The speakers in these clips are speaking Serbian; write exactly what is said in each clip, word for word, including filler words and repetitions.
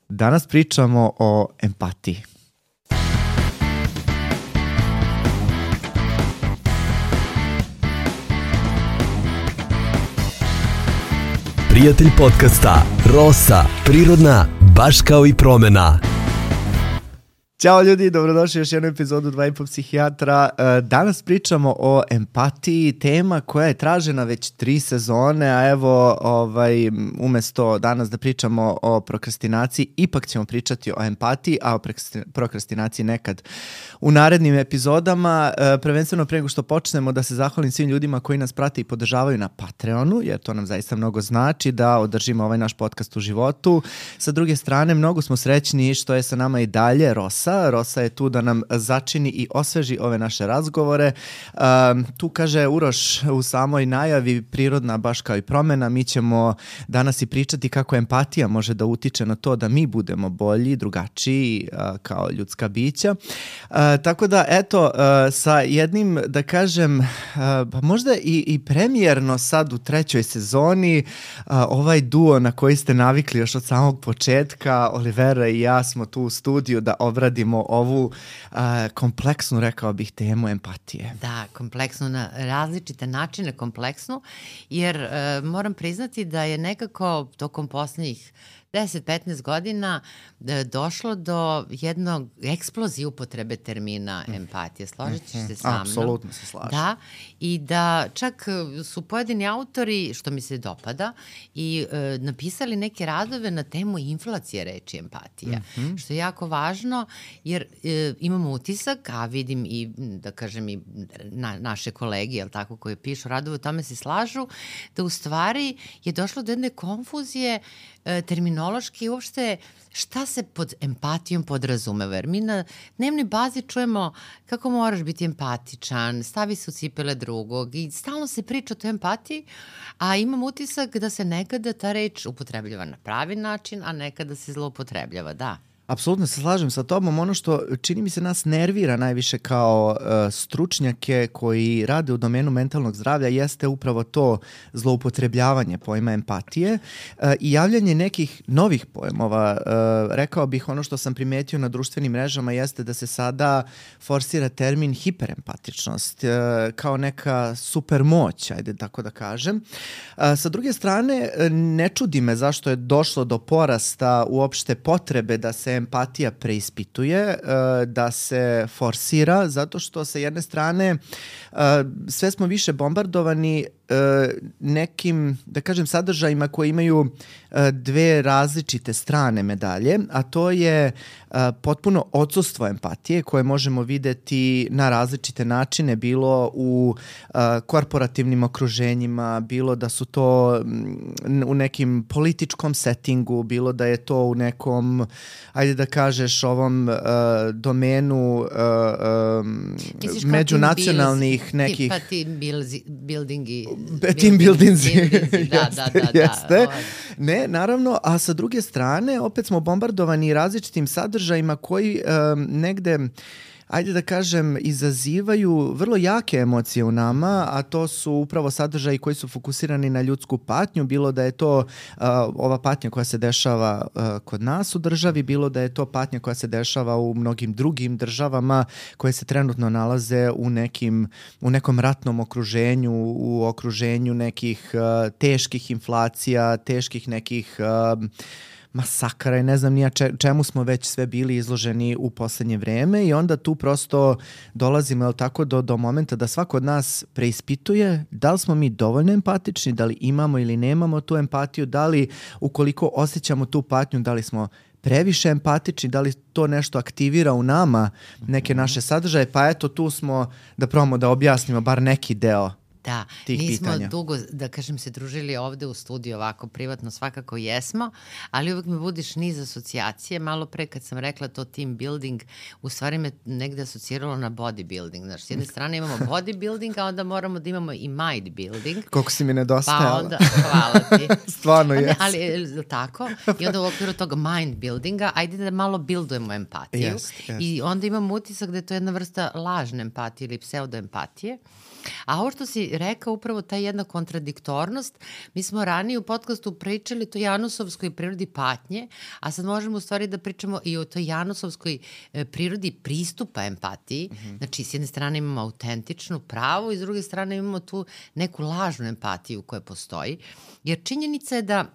Danas pričamo o empatiji. Prijatelj podcasta Rosa, prirodna, baš kao i promena. Ćao ljudi, dobrodošli u još jednu epizodu Dva i po psihijatra. Danas pričamo o empatiji, tema koja je tražena već tri sezone, a evo ovaj, umjesto danas da pričamo o prokrastinaciji, ipak ćemo pričati o empatiji, a o prokrastinaciji nekad u narednim epizodama. Prvenstveno prije nego što počnemo da se zahvalim svim ljudima koji nas prate i podržavaju na Patreonu, jer to nam zaista mnogo znači da održimo ovaj naš podcast u životu. Sa druge strane, mnogo smo srećni što je sa nama i dalje Rosa. Rosa je tu da nam začini i osveži ove naše razgovore. Um, tu kaže Uroš u samoj najavi prirodna baš kao i promena. Mi ćemo danas i pričati kako empatija može da utiče na to da mi budemo bolji, drugačiji uh, kao ljudska bića. Uh, tako da eto, uh, sa jednim da kažem uh, pa možda i, i premijerno sad u trećoj sezoni uh, ovaj duo na koji ste navikli još od samog početka, Olivera i ja smo tu u studiju da obradimo ovu uh, kompleksnu, rekao bih, temu empatije. Da, kompleksnu na različite načine, kompleksnu, jer uh, moram priznati da je nekako tokom posljednjih deset do petnaest godina došlo do jednog eksplozije upotrebe termina empatije. Složit ćeš se sa mnom? Apsolutno se slažem. Da, i da čak su pojedini autori, što mi se dopada, i e, napisali neke radove na temu inflacije reči empatija, mm-hmm. što je jako važno, jer e, imamo utisak, a vidim i, da kažem, i na, naše kolege, jel tako, koji pišu radove, o tome se slažu, da u stvari je došlo do jedne konfuzije e, terminološki i uopšte šta se pod empatijom podrazumeva. Jer mi na dnevnoj bazi čujemo kako moraš biti empatičan, stavi se u cipele drugog i stalno se priča o toj empatiji, a imam utisak da se nekada ta reč upotrebljava na pravi način, a nekada se zloupotrebljava, da. Apsolutno se slažem sa tobom. Ono što čini mi se nas nervira najviše kao uh, stručnjake koji rade u domenu mentalnog zdravlja jeste upravo to zloupotrebljavanje pojma empatije uh, i javljanje nekih novih pojmova. Uh, rekao bih, ono što sam primetio na društvenim mrežama jeste da se sada forsira termin hiperempatičnost uh, kao neka super moć, ajde tako da kažem. Uh, sa druge strane, ne čudi me zašto je došlo do porasta uopšte potrebe da se empatija preispituje, da se forsira, zato što sa jedne strane sve smo više bombardovani nekim, da kažem, sadržajima koji imaju dve različite strane medalje, a to je potpuno odsustvo empatije koje možemo videti na različite načine, bilo u korporativnim okruženjima, bilo da su to u nekim političkom settingu, bilo da je to u nekom, ajde da kažeš, ovom domenu Misliš međunacionalnih team nekih... Pa team buildingi... Team buildingzi. Da, da, da. Jeste. Ne, naravno, a sa druge strane opet smo bombardovani različitim sadržajima koji um, negde, ajde da kažem, izazivaju vrlo jake emocije u nama, a to su upravo sadržaji koji su fokusirani na ljudsku patnju, bilo da je to uh, ova patnja koja se dešava uh, kod nas u državi, bilo da je to patnja koja se dešava u mnogim drugim državama koje se trenutno nalaze u nekim, u nekom ratnom okruženju, u okruženju nekih uh, teških inflacija, teških nekih uh, masakara i ne znam nija čemu smo već sve bili izloženi u poslednje vreme i onda tu prosto dolazimo, jel tako, do, do momenta da svako od nas preispituje da li smo mi dovoljno empatični, da li imamo ili nemamo tu empatiju, da li ukoliko osjećamo tu patnju, da li smo previše empatični, da li to nešto aktivira u nama neke naše sadržaje, pa eto tu smo da probamo da objasnimo bar neki deo. Da, nismo pitanja. dugo, da kažem, se družili ovde u studiju ovako privatno, svakako jesmo, ali uvek me budiš niz asocijacije. Malo pre kad sam rekla to team building, u stvari me negde asociralo na bodybuilding. Znaš, s jedne strane imamo bodybuilding, a onda moramo da imamo i mind building. Koliko si mi nedostajala. Pa onda, hvala ti. Stvarno je. Ali tako, i onda u okviru tog mind buildinga, ajde da malo buildujemo empatiju. Yes, yes. I onda imam utisak da je to jedna vrsta lažne empatije ili pseudoempatije. A ovo što si rekao, upravo ta jedna kontradiktornost, mi smo ranije u podcastu pričali to janusovskoj prirodi patnje, a sad možemo u stvari da pričamo i o toj janusovskoj e, prirodi pristupa empatiji. Mm-hmm. Znači, s jedne strane imamo autentičnu pravu i s druge strane imamo tu neku lažnu empatiju koja postoji. Jer činjenica je da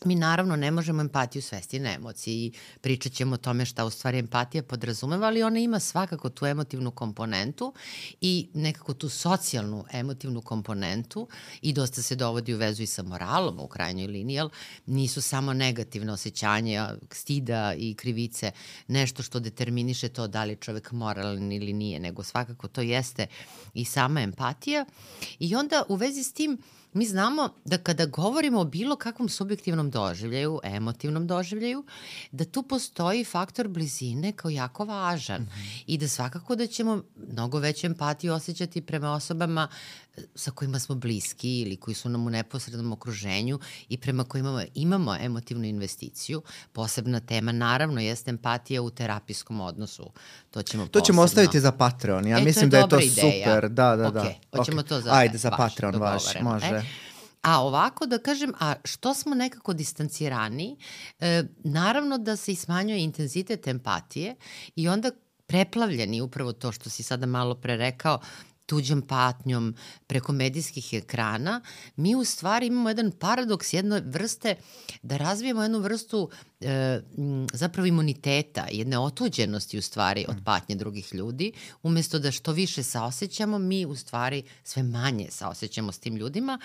mi naravno ne možemo empatiju svesti na emociji i pričat ćemo o tome šta u stvari empatija podrazumeva, ali ona ima svakako tu emotivnu komponentu i nekako tu socijalnu emotivnu komponentu i dosta se dovodi u vezu i sa moralom u krajnjoj liniji, jer nisu samo negativne osjećanja stida i krivice nešto što determiniše to da li je čovek moralan ili nije, nego svakako to jeste i sama empatija. I onda u vezi s tim mi znamo da kada govorimo o bilo kakvom subjektivnom doživljaju, emotivnom doživljaju, da tu postoji faktor blizine kao jako važan mm-hmm. i da svakako da ćemo mnogo veću empatiju osjećati prema osobama sa kojima smo bliski ili koji su nam u neposrednom okruženju i prema kojima imamo emotivnu investiciju. Posebna tema naravno jeste empatija u terapijskom odnosu. To ćemo To ćemo ostaviti za Patreon. Ja e, mislim da je to ideja. Super. Da, da, da. Okay. Hoćemo okay. to za Ajde, za vaš, Patreon vaš, može. E? A ovako da kažem, a što smo nekako distancirani, e, naravno da se i smanjuje intenzitet empatije i onda preplavljeni upravo to što si sada malo pre rekao, tuđom patnjom preko medijskih ekrana, mi u stvari imamo jedan paradoks, jedne vrste, da razvijemo jednu vrstu e, zapravo imuniteta, jedne otuđenosti u stvari od patnje drugih ljudi, umesto da što više saosećamo, mi u stvari sve manje saosećamo s tim ljudima,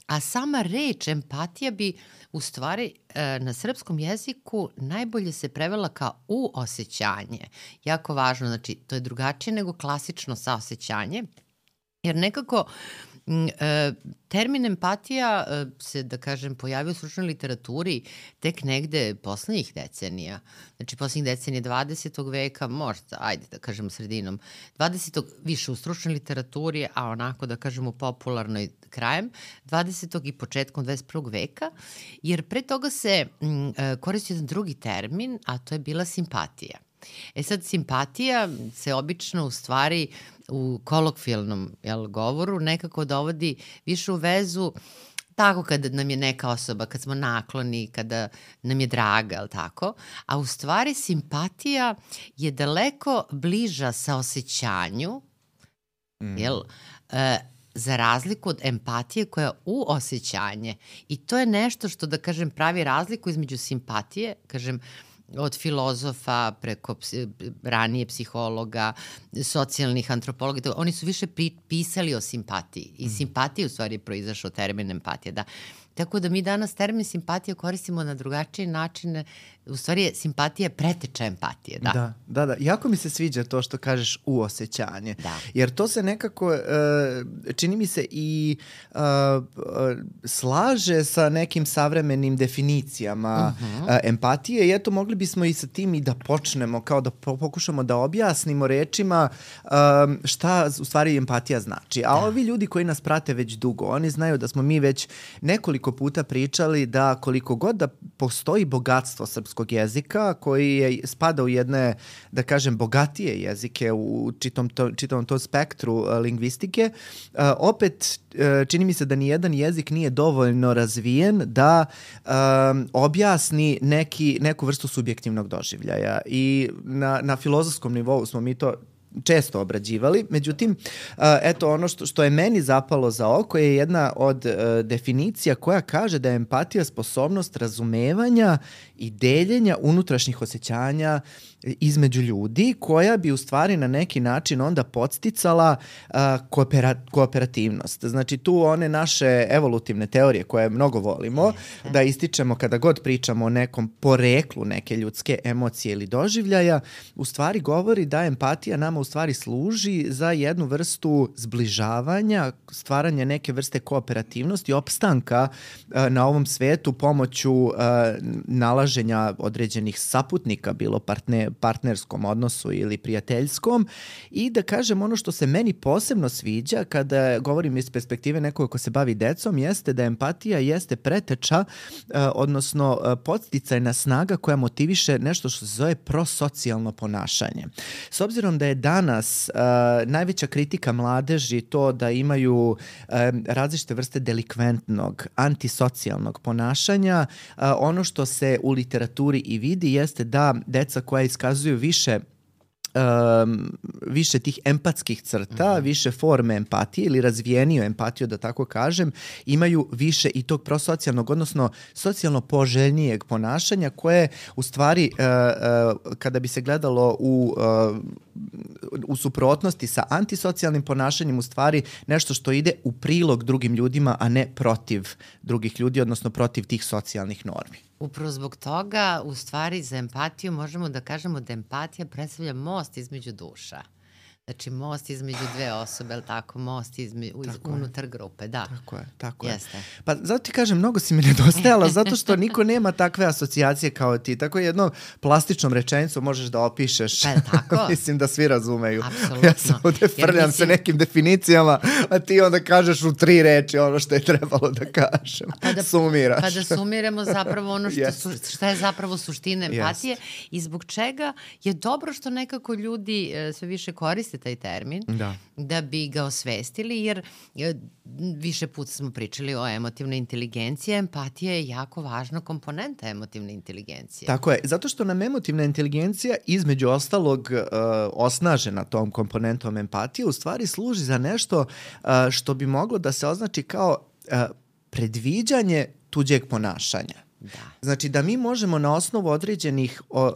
a sama reč empatija bi u stvari e, na srpskom jeziku najbolje se prevela kao uosećanje. Jako važno, znači to je drugačije nego klasično saosećanje, jer nekako m, e, termin empatija e, se, da kažem, pojavio u stručnoj literaturi tek negde poslednjih decenija. Znači, poslednjih decenija dvadesetog veka, možda, ajde da kažemo sredinom dvadesetog više u stručnoj literaturi, a onako da kažemo popularnoj krajem dvadesetog i početkom dvadeset prvog veka, jer pre toga se m, e, koristio jedan drugi termin, a to je bila simpatija. E sad, simpatija se obično u stvari u kolokvijalnom jel, govoru nekako dovodi više u vezu tako kada nam je neka osoba, kad smo nakloni, kada nam je draga, jel tako? A u stvari simpatija je daleko bliža saosećanju, mm. jel, e, za razliku od empatije koja je uosećanje. I to je nešto što, da kažem, pravi razliku između simpatije, kažem, od filozofa preko psi, ranije psihologa, socijalnih antropologa, oni su više pri, pisali o simpatiji i mm. simpatija u stvari je proizašao termin empatija, da. Tako da mi danas termin simpatija koristimo na drugačije načine, u stvari je simpatija preteča empatije, da. Da, da, da. Jako mi se sviđa to što kažeš uosećanje, da. Jer to se nekako, uh, čini mi se i uh, uh, slaže sa nekim savremenim definicijama uh-huh. uh, empatije i eto mogli bismo i sa tim i da počnemo, kao da pokušamo da objasnimo rečima uh, šta u stvari empatija znači. A da. Ovi ljudi koji nas prate već dugo, oni znaju da smo mi već nekoliko puta pričali da koliko god da postoji bogatstvo srpskog jezika koji je, spada u jedne, da kažem, bogatije jezike u čitom to, čitavom tom spektru uh, lingvistike, uh, opet uh, čini mi se da nijedan jezik nije dovoljno razvijen da um, objasni neki, neku vrstu subjektivnog doživljaja. I na, na filozofskom nivou smo mi to često obrađivali. Međutim, eto ono što, što je meni zapalo za oko je jedna od uh, definicija koja kaže da je empatija sposobnost razumevanja i deljenja unutrašnjih osjećanja između ljudi, koja bi u stvari na neki način onda podsticala uh, koopera, kooperativnost. Znači tu one naše evolutivne teorije koje mnogo volimo yes. da ističemo kada god pričamo o nekom poreklu neke ljudske emocije ili doživljaja, u stvari govori da empatija nama u stvari služi za jednu vrstu zbližavanja, stvaranja neke vrste kooperativnosti, opstanka uh, na ovom svetu pomoću uh, nalaženja određenih saputnika, bilo partne, partnerskom odnosu ili prijateljskom, i da kažem ono što se meni posebno sviđa kada govorim iz perspektive nekoga ko se bavi decom, jeste da empatija jeste preteča, uh, odnosno uh, podsticajna snaga koja motiviše nešto što se zove prosocijalno ponašanje. S obzirom da je dan danas uh, najveća kritika mladeži to da imaju um, različite vrste delikventnog, antisocijalnog ponašanja. Uh, ono što se u literaturi i vidi jeste da deca koja iskazuju više Um, više tih empatskih crta, mm-hmm. više forme empatije ili razvijeniju empatiju, da tako kažem, imaju više i tog prosocijalnog, odnosno socijalno poželjnijeg ponašanja koje u stvari uh, uh, kada bi se gledalo u, uh, u suprotnosti sa antisocijalnim ponašanjem, u stvari nešto što ide u prilog drugim ljudima, a ne protiv drugih ljudi, odnosno protiv tih socijalnih normi. Upravo zbog toga, u stvari, za empatiju možemo da kažemo da empatija predstavlja most između duša. Znači, most između dve osobe, ali tako, most izme, iz, unutar grupe, da. Tako je, tako Jeste. je. Pa zato ti kažem, mnogo si mi nedostajala, zato što niko nema takve asocijacije kao ti. Tako jednom plastičnom rečenicom možeš da opišeš. Pa je tako? Mislim da svi razumeju. Apsolutno. Ja sam ovde frljam mislim... se nekim definicijama, a ti onda kažeš u tri reči ono što je trebalo da kažem. Pa da, Sumiraš. Pa da sumiramo zapravo ono što, yes. su, šta je zapravo suština empatije yes. i zbog čega je dobro što nekako ljudi e, sve više koriste taj termin, da. da bi ga osvestili, jer više puta smo pričali o emotivnoj inteligenciji, empatija je jako važna komponenta emotivne inteligencije. Tako je, zato što nam emotivna inteligencija između ostalog uh, osnažena tom komponentom empatije u stvari služi za nešto uh, što bi moglo da se označi kao uh, predviđanje tuđeg ponašanja. Da. Znači da mi možemo na osnovu određenih, o, o,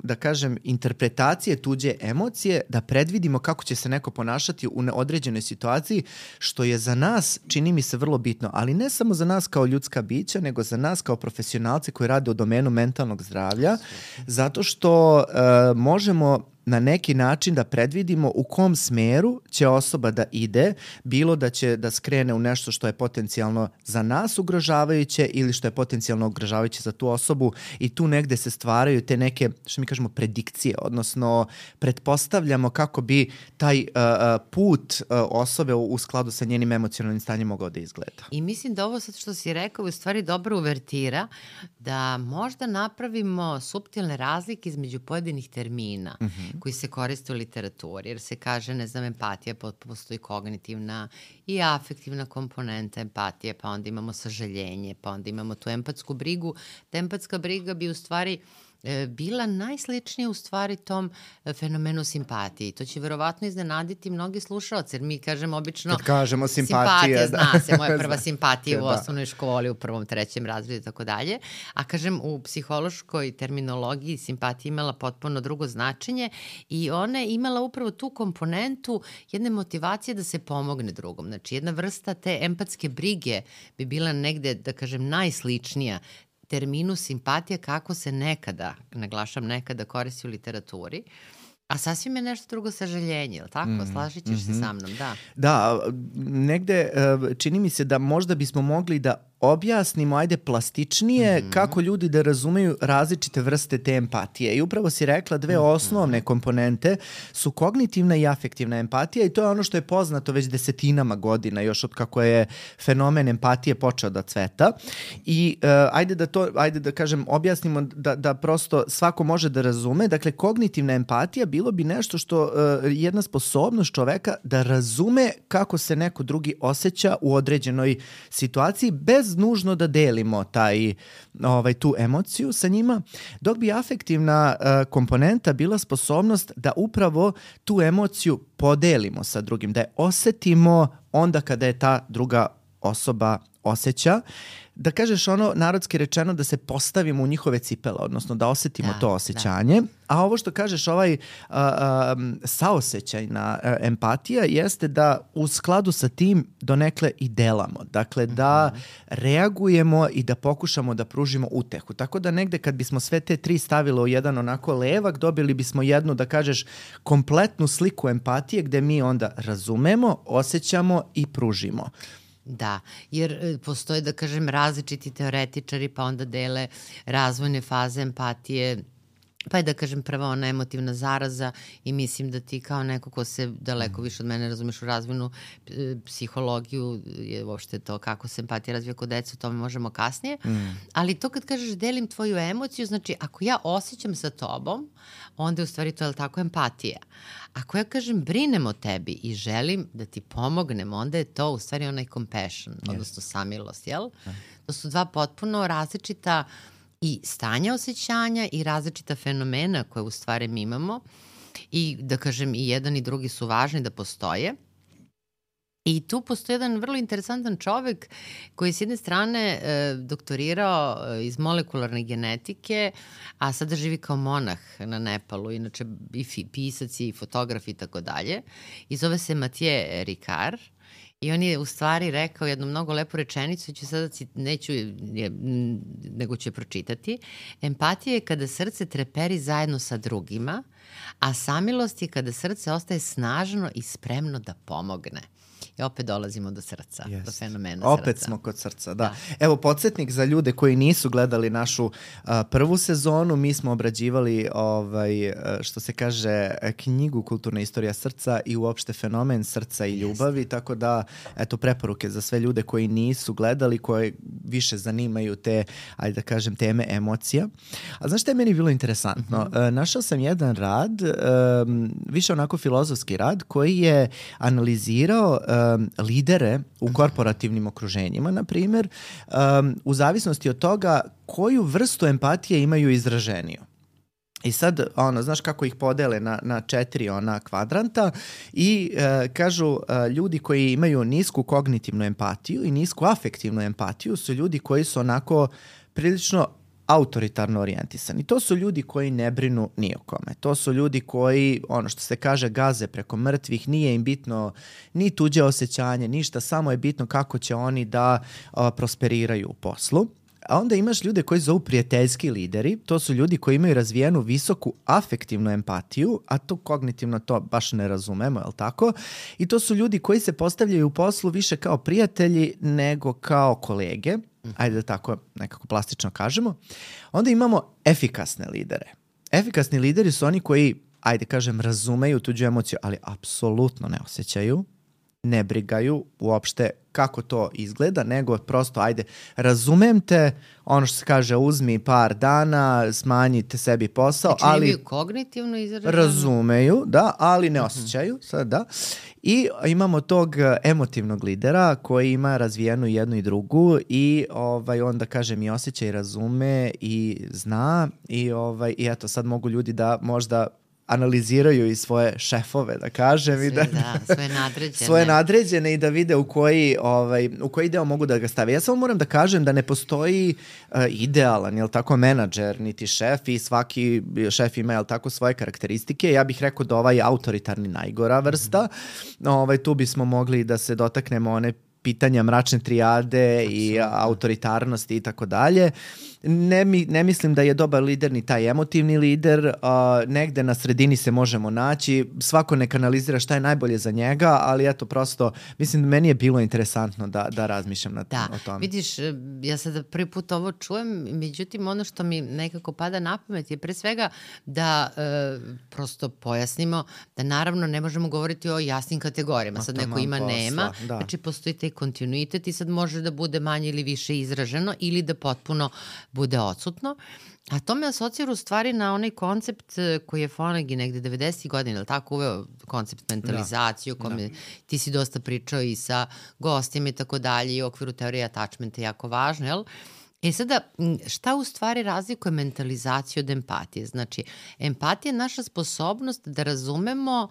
da kažem, interpretacije tuđe emocije da predvidimo kako će se neko ponašati u određenoj situaciji, što je za nas, čini mi se, vrlo bitno, ali ne samo za nas kao ljudska bića, nego za nas kao profesionalce koji rade u domenu mentalnog zdravlja, zato što uh, možemo na neki način da predvidimo u kom smeru će osoba da ide, bilo da će da skrene u nešto što je potencijalno za nas ugrožavajuće ili što je potencijalno ugrožavajuće za tu osobu, i tu negde se stvaraju te neke, što mi kažemo, predikcije, odnosno pretpostavljamo kako bi taj uh, put uh, osobe u, u skladu sa njenim emocionalnim stanjem mogao da izgleda. I mislim da ovo sad što si rekao je u stvari dobra uvertira da možda napravimo suptilne razlike između pojedinih termina mm-hmm. koji se koriste u literaturi, jer se kaže, ne znam, empatija, postoji kognitivna i afektivna komponenta empatije, pa onda imamo sažaljenje, pa onda imamo tu empatsku brigu. Ta empatska briga bi u stvari bila najsličnija u stvari tom fenomenu simpatije. To će verovatno iznenaditi mnogi slušaoci, jer mi kažemo obično... Kad kažemo simpatija, simpatija da. Zna se, moja prva simpatija da. u osnovnoj školi, u prvom, trećem razredu i tako dalje. A kažem, u psihološkoj terminologiji simpatija imala potpuno drugo značenje i ona je imala upravo tu komponentu jedne motivacije da se pomogne drugom. Znači, jedna vrsta te empatske brige bi bila negde, da kažem, najsličnija terminu simpatija kako se nekada, naglašam nekada, koristi u literaturi, a sasvim je nešto drugo sažaljenje, ili tako? Mm, Slažit ćeš mm-hmm. se sa mnom, da. Da, negde čini mi se da možda bismo mogli da objasnimo, ajde, plastičnije mm-hmm. kako ljudi da razumeju različite vrste te empatije. I upravo si rekla dve mm-hmm. osnovne komponente su kognitivna i afektivna empatija, i to je ono što je poznato već desetinama godina, još od kako je fenomen empatije počeo da cveta. I uh, ajde da to, ajde da kažem, objasnimo da, da prosto svako može da razume. Dakle, kognitivna empatija bilo bi nešto što uh, jedna sposobnost čoveka da razume kako se neko drugi osjeća u određenoj situaciji bez nužno da delimo taj, ovaj, tu emociju sa njima, dok bi afektivna uh, komponenta bila sposobnost da upravo tu emociju podelimo sa drugim, da je osetimo onda kada je ta druga osoba osjeća, da kažeš ono narodski rečeno da se postavimo u njihove cipele, odnosno da osetimo da, to osjećanje. Da. A ovo što kažeš, ovaj uh, um, saosećajna uh, empatija jeste da u skladu sa tim donekle i delamo. Dakle, da mm-hmm. reagujemo i da pokušamo da pružimo utehu. Tako da negde kad bismo sve te tri stavile u jedan onako levak, dobili bismo jednu, da kažeš, kompletnu sliku empatije gde mi onda razumemo, osjećamo i pružimo. Da, jer postoje, da kažem, različiti teoretičari, pa onda dele razvojne faze empatije Pa je da kažem prva ona emotivna zaraza i mislim da ti kao neko ko se daleko više od mene razumeš u razvojnu e, psihologiju, je uopšte to kako se empatija razvija kod dece, o tome možemo kasnije, mm. ali to kad kažeš delim tvoju emociju, znači ako ja osjećam sa tobom, onda je u stvari to je tako empatija. Ako ja kažem brinem o tebi i želim da ti pomognem, onda je to u stvari onaj compassion, yes. odnosno samilost, jel? Mm. To su dva potpuno različita i stanja osjećanja i različita fenomena koje u stvari mi imamo i da kažem i jedan i drugi su važni da postoje. I tu postoji jedan vrlo interesantan čovek koji s jedne strane e, doktorirao e, iz molekularne genetike, a sada živi kao monah na Nepalu, inače i fi, pisac i fotograf i tako dalje. I zove se Mathieu Ricard. I on je u stvari rekao jednu mnogo lepu rečenicu, ću sada, neću, nego ću je pročitati. Empatija je kada srce treperi zajedno sa drugima, a samilost je kada srce ostaje snažno i spremno da pomogne. I opet dolazimo do srca, yes. do fenomena opet srca. Opet smo kod srca, da. da. Evo, podsjetnik za ljude koji nisu gledali našu uh, prvu sezonu, mi smo obrađivali, ovaj, što se kaže, knjigu Kulturna istorija srca i uopšte fenomen srca i ljubavi, yes. tako da, eto, preporuke za sve ljude koji nisu gledali, koji više zanimaju te, ajde da kažem, teme emocija. A znaš što je meni bilo interesantno? Mm-hmm. Uh, našao sam jedan rad, um, više onako filozofski rad, koji je analizirao um, lidere u korporativnim okruženjima, na primjer, um, u zavisnosti od toga koju vrstu empatije imaju izraženiju. I sad, ono, znaš kako ih podele na, na četiri ona kvadranta i e, kažu e, ljudi koji imaju nisku kognitivnu empatiju i nisku afektivnu empatiju su ljudi koji su onako prilično autoritarno orijentisani. To su ljudi koji ne brinu ni o kome. To su ljudi koji, ono što se kaže, gaze preko mrtvih, nije im bitno ni tuđe osjećanje, ništa, samo je bitno kako će oni da a, prosperiraju u poslu. A onda imaš ljude koji zovu prijateljski lideri, to su ljudi koji imaju razvijenu visoku afektivnu empatiju, a to kognitivno to baš ne razumemo, je li tako? I to su ljudi koji se postavljaju u poslu više kao prijatelji nego kao kolege, ajde da tako nekako plastično kažemo. Onda imamo efikasne lidere. Efikasni lideri su oni koji, ajde kažem, razumeju tuđu emociju, ali apsolutno ne osjećaju, ne brigaju uopšte kako to izgleda, nego prosto, ajde, razumem te, ono što se kaže, uzmi par dana, smanjite sebi posao, znači, ali... Znači, kognitivno izraženo? Razumeju, da, ali ne osjećaju, uh-huh. sad da. I imamo tog emotivnog lidera koji ima razvijenu jednu i drugu i ovaj, onda, kažem, i osjeća i razume i zna i, ovaj, i eto, sad mogu ljudi da možda analiziraju i svoje šefove, da kažem. Sve, i da, da, svoje nadređene. Svoje nadređene i da vide u koji, ovaj, u koji deo mogu da ga stave. Ja samo moram da kažem da ne postoji uh, idealan, jel tako, menadžer, niti šef i svaki šef ima, jel tako, svoje karakteristike. Ja bih rekao da ovaj autoritarni najgora vrsta. Mm-hmm. Ovaj, tu bismo mogli da se dotaknemo one pitanja mračne trijade Absolutno. I autoritarnosti i tako dalje. Ne, mi, ne mislim da je dobar lider ni taj emotivni lider, uh, negde na sredini se možemo naći, svako nek analizira šta je najbolje za njega, ali eto prosto, mislim da meni je bilo interesantno da, da razmišljam na da, o tome. Vidiš, ja sada prvi put ovo čujem, međutim ono što mi nekako pada na pamet je pre svega da e, prosto pojasnimo da naravno ne možemo govoriti o jasnim kategorijama, no, sad neko ima, posla, nema, da. Znači postoji taj kontinuitet i sad može da bude manje ili više izraženo ili da potpuno bude odsutno. A to me asocira u stvari na onaj koncept koji je Fonagy negde devedesetih godina, ili tako, uveo koncept mentalizacije, o kome da. Ti si dosta pričao i sa gostima i tako dalje, i u okviru teorije attachmenta je jako važno, jel? E sada, šta u stvari razlikuje mentalizaciju od empatije? Znači, empatija je naša sposobnost da razumemo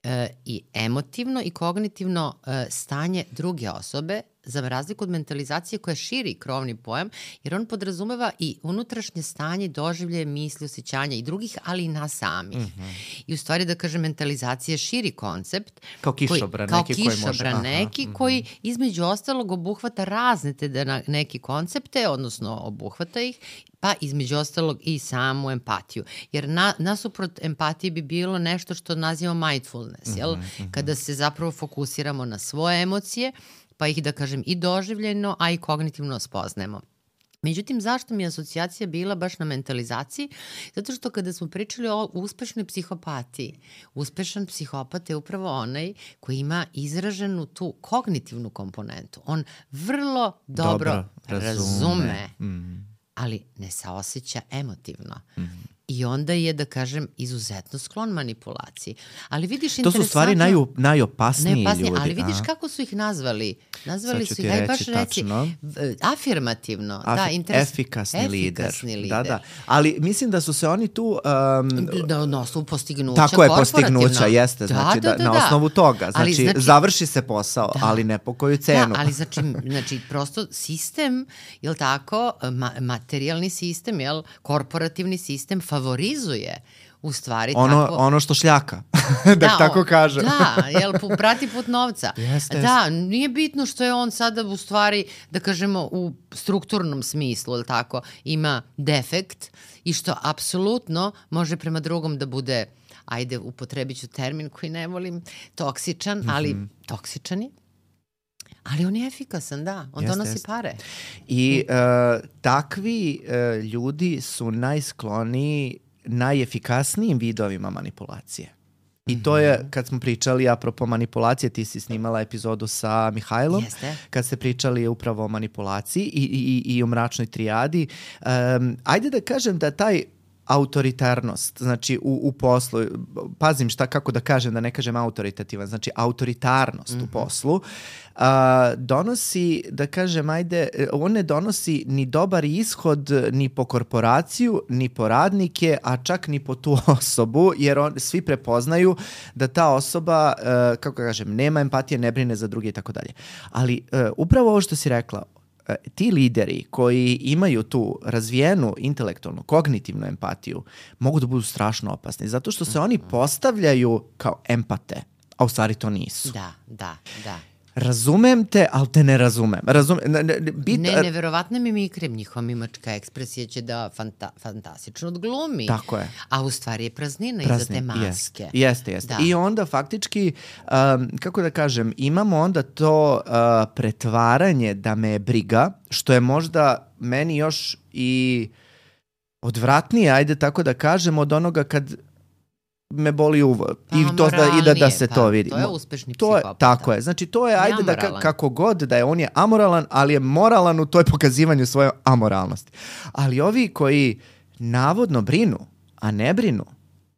e, i emotivno i kognitivno e, stanje druge osobe, za razliku od mentalizacije koja širi krovni pojam, jer on podrazumeva i unutrašnje stanje, doživlje, misli, osjećanja i drugih, ali i nas samih. Mm-hmm. I u stvari, da kažem, mentalizacija je širi koncept. Kao kišobran koji, neki kao koji kišobran može. neki mm-hmm. koji između ostalog obuhvata razne te neke koncepte, odnosno obuhvata ih, pa između ostalog i samu empatiju. Jer na, nasuprot empatije bi bilo nešto što nazivamo mindfulness, jel? Mm-hmm. Kada se zapravo fokusiramo na svoje emocije, pa ih, da kažem, i doživljeno, a i kognitivno spoznajemo. Međutim, zašto mi je asocijacija bila baš na mentalizaciji? Zato što kada smo pričali o uspešnoj psihopatiji, uspešan psihopat je upravo onaj koji ima izraženu tu kognitivnu komponentu. On vrlo dobro, dobro razume, razume mm. ali ne saoseća emotivno. Mm. I onda je, da kažem, izuzetno sklon manipulaciji. Ali vidiš, to su stvari naju, najopasniji, najopasniji ljudi. Ali vidiš a? kako su ih nazvali. Nazvali su ih, aj baš reci, afirmativno. Af, da, interes, efikasni, efikasni lider. lider. Da, da. Ali mislim da su se oni tu... Um, da, na osnovu postignuća. Tako je, postignuća, jeste. Da, znači, da, da, da, na osnovu toga. Znači, znači završi se posao, da, ali ne po koju cenu. Da, ali znači, znači prosto sistem, jel tako, ma, materijalni sistem, jel, korporativni sistem favorizuje u stvari ono, tako... ono što šljaka, da, da tako kažem. Da, jel, prati put novca. Jeste, da, jeste. Nije bitno što je on sada u stvari, da kažemo, u strukturnom smislu, jel tako, ima defekt i što apsolutno može prema drugom da bude, ajde, upotrebit ću termin koji ne volim, toksičan, mm-hmm. ali toksičan je. Ali on je efikasan, da. On jest, donosi jest. pare. I uh, takvi uh, ljudi su najskloniji najefikasnijim vidovima manipulacije. I to je, kad smo pričali apropo manipulacije, ti si snimala epizodu sa Mihajlom, Jeste. kad ste pričali upravo o manipulaciji i, i, i o mračnoj trijadi. Um, ajde da kažem da taj autoritarnost, znači u, u poslu, pazim šta kako da kažem, da ne kažem autoritativan, znači autoritarnost mm-hmm. u poslu, uh, donosi, da kažem, ajde, on ne donosi ni dobar ishod ni po korporaciju, ni po radnike, a čak ni po tu osobu, jer on, svi prepoznaju da ta osoba, uh, kako kažem, nema empatije, ne brine za druge i tako dalje. Ali uh, upravo ovo što si rekla, ti lideri koji imaju tu razvijenu intelektualnu, kognitivnu empatiju mogu da budu strašno opasni, zato što se oni postavljaju kao empate, a u stvari to nisu. Da, da, da. Razumem te, ali te ne razumem. Razumem, ne, ne, bit, ne, neverovatne mimikre, njihova mimička ekspresija će da fanta, fantastično odglumi. Tako je. A u stvari je praznina, praznina iza te maske. Jeste, jeste. jeste. I onda faktički, um, kako da kažem, imamo onda to uh, pretvaranje da me je briga, što je možda meni još i odvratnije, ajde tako da kažem, od onoga kad me boli uvo. Pa, I, to da, i da, da se pa, to vidi. To je uspešni to je, psihopata. Tako je. Znači to je, ajde da ka, kako god da je, on je amoralan, ali je moralan u toj pokazivanju svoje amoralnosti. Ali ovi koji navodno brinu, a ne brinu,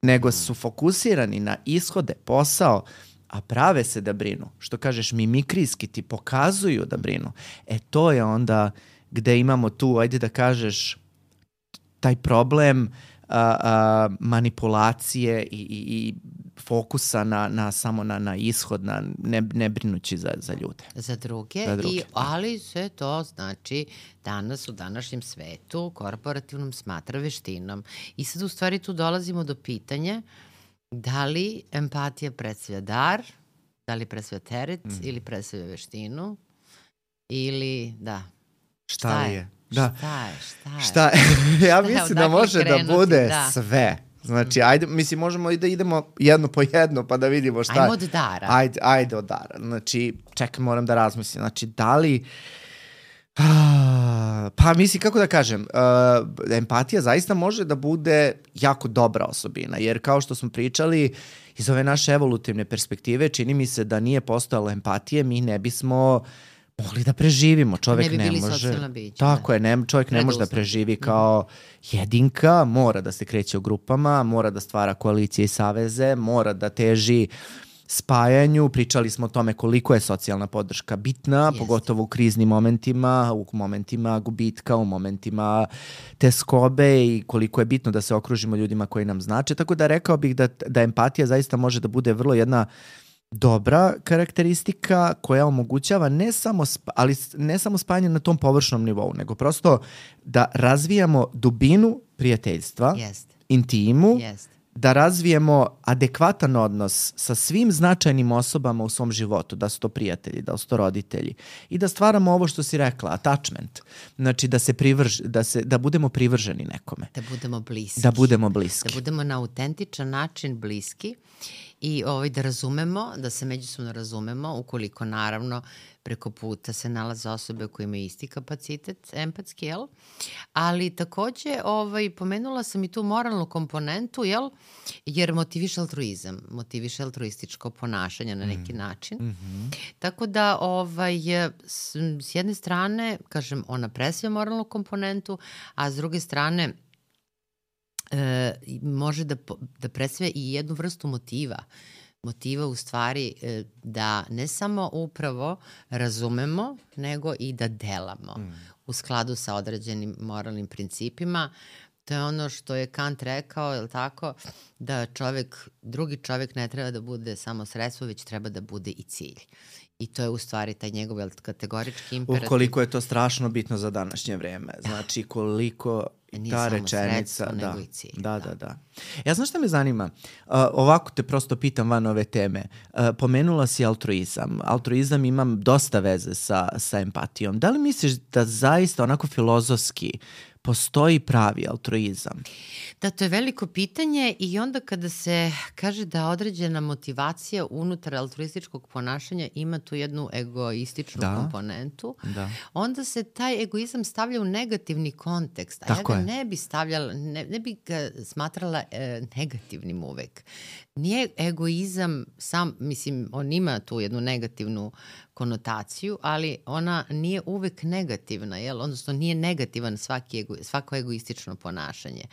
nego su fokusirani na ishode, posao, a prave se da brinu, što kažeš mimikrijski ti pokazuju da brinu, e to je onda gde imamo tu, ajde da kažeš, taj problem Uh, uh, manipulacije i, i, i fokusa na, na samo na, na ishod, na ne, ne brinući za, za ljude. Za druge, za druge. I, ali sve to znači danas u današnjem svetu korporativnom smatra veštinom. I sad u stvari tu dolazimo do pitanja da li empatija predstavlja dar, da li predstavlja teret mm. ili predstavlja veštinu ili da. Šta, šta je? je? Da. Šta je, šta je? Šta je? Ja mislim da može krenuti, da bude da. sve. Znači, ajde, mislim, možemo i da idemo jedno po jedno pa da vidimo šta je. Ajmo od dara. Ajde, ajde od dara. Znači, čekaj, moram da razmislim. Znači, da li... Pa mislim, kako da kažem, uh, empatija zaista može da bude jako dobra osobina, jer kao što smo pričali, iz ove naše evolutivne perspektive, čini mi se da nije postojalo empatije, mi ne bismo mogli da preživimo. Čovjek ne, bi ne bili može. Bića, tako da. je, ne, čovjek ne može da preživi kao jedinka, mora da se kreće u grupama, mora da stvara koalicije i saveze, mora da teži spajanju. Pričali smo o tome koliko je socijalna podrška bitna, Jest. pogotovo u kriznim momentima, u momentima gubitka, u momentima teskobe i koliko je bitno da se okružimo ljudima koji nam znače. Tako da rekao bih da, da empatija zaista može da bude vrlo jedna dobra karakteristika koja omogućava ne samo, spa, ali ne samo spajanje na tom površnom nivou, nego prosto da razvijamo dubinu prijateljstva, Jest. intimu, Jest. da razvijemo adekvatan odnos sa svim značajnim osobama u svom životu, da su to prijatelji, da su to roditelji i da stvaramo ovo što si rekla, attachment, znači da se privrž, da se da budemo privrženi nekome. Da budemo bliski. Da budemo bliski. Da budemo na autentičan način bliski i ovaj, da razumemo, da se međusobno razumemo, ukoliko naravno preko puta se nalaze osobe koje imaju isti kapacitet empatski, jel? Ali takođe ovaj, pomenula sam i tu moralnu komponentu, jel? Jer motiviše altruizam, motiviše altruističko ponašanje na neki mm. način. Mm-hmm. Tako da ovaj, s, s jedne strane, kažem, ona presvija moralnu komponentu, a s druge strane e, može da, da presvija i jednu vrstu motiva. Motiva u stvari da ne samo upravo razumemo, nego i da delamo mm. u skladu sa određenim moralnim principima. To je ono što je Kant rekao, je li tako, da čovek, drugi čovek ne treba da bude samo sredstvo, već treba da bude i cilj. I to je u stvari taj njegov kategorički imperativ. Ukoliko je to strašno bitno za današnje vreme. Znači koliko nije ta samo rečenica... Sredstvo, da, nego i cilj. Da, da, da. Ja znaš šta me zanima? Uh, ovako te prosto pitam van ove teme. Uh, pomenula si altruizam. Altruizam ima dosta veze sa, sa empatijom. Da li misliš da zaista onako filozofski postoji pravi altruizam? Da, to je veliko pitanje i onda kada se kaže da određena motivacija unutar altruističkog ponašanja ima tu jednu egoističnu da. komponentu, da. onda se taj egoizam stavlja u negativni kontekst. A Tako ja ga je. ne bi stavljala, ne, ne bi ga smatrala e, negativnim uvek. Nije egoizam sam, mislim, on ima tu jednu negativnu konotaciju, ali ona nije uvek negativna, jel? Odnosno nije negativan svaki ego, svako egoistično ponašanje.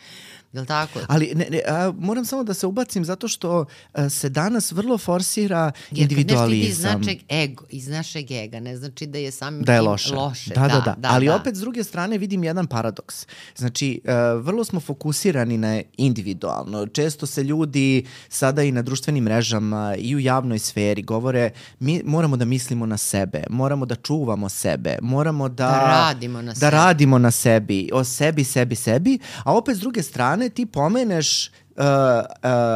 Jel tako? Ali ne, ne, a, moram samo da se ubacim zato što a, se danas vrlo forsira Jer individualizam. Jer kad nešto ide iz našeg, ego, iz našeg ega, ne znači da je samim da je tim loše. loše. Da, da, da. da. da Ali da. opet s druge strane vidim jedan paradoks. Znači, uh, vrlo smo fokusirani na individualno. Često se ljudi sada i na društvenim mrežama i u javnoj sferi govore mi moramo da mislimo na sebe, moramo da čuvamo sebe, moramo da, da radimo na da sebi. radimo na sebi, o sebi, sebi, sebi, a opet s druge strane ti pomeneš Uh, uh,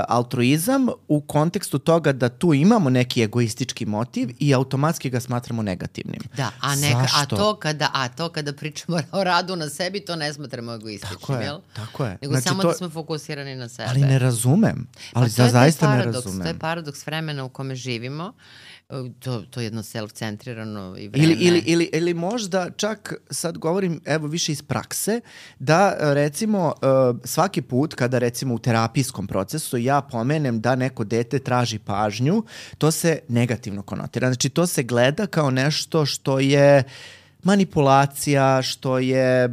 altruizam u kontekstu toga da tu imamo neki egoistički motiv i automatski ga smatramo negativnim. Da, a, neka, a, to kada, a to kada pričamo o radu na sebi, to ne smatramo egoističnim, tako je, jel? Tako je. Nego znači, samo to... da smo fokusirani na sebe. Ali ne razumem. Ali pa za, zaista paradoks, ne razumem. To je paradoks vremena u kome živimo. To, to je jedno self-centrirano i vreme. Ili, ili, ili, ili možda čak, sad govorim evo više iz prakse, da recimo svaki put kada recimo u terapijskom procesu ja pomenem da neko dete traži pažnju, to se negativno konotira. Znači to se gleda kao nešto što je manipulacija, što je uh,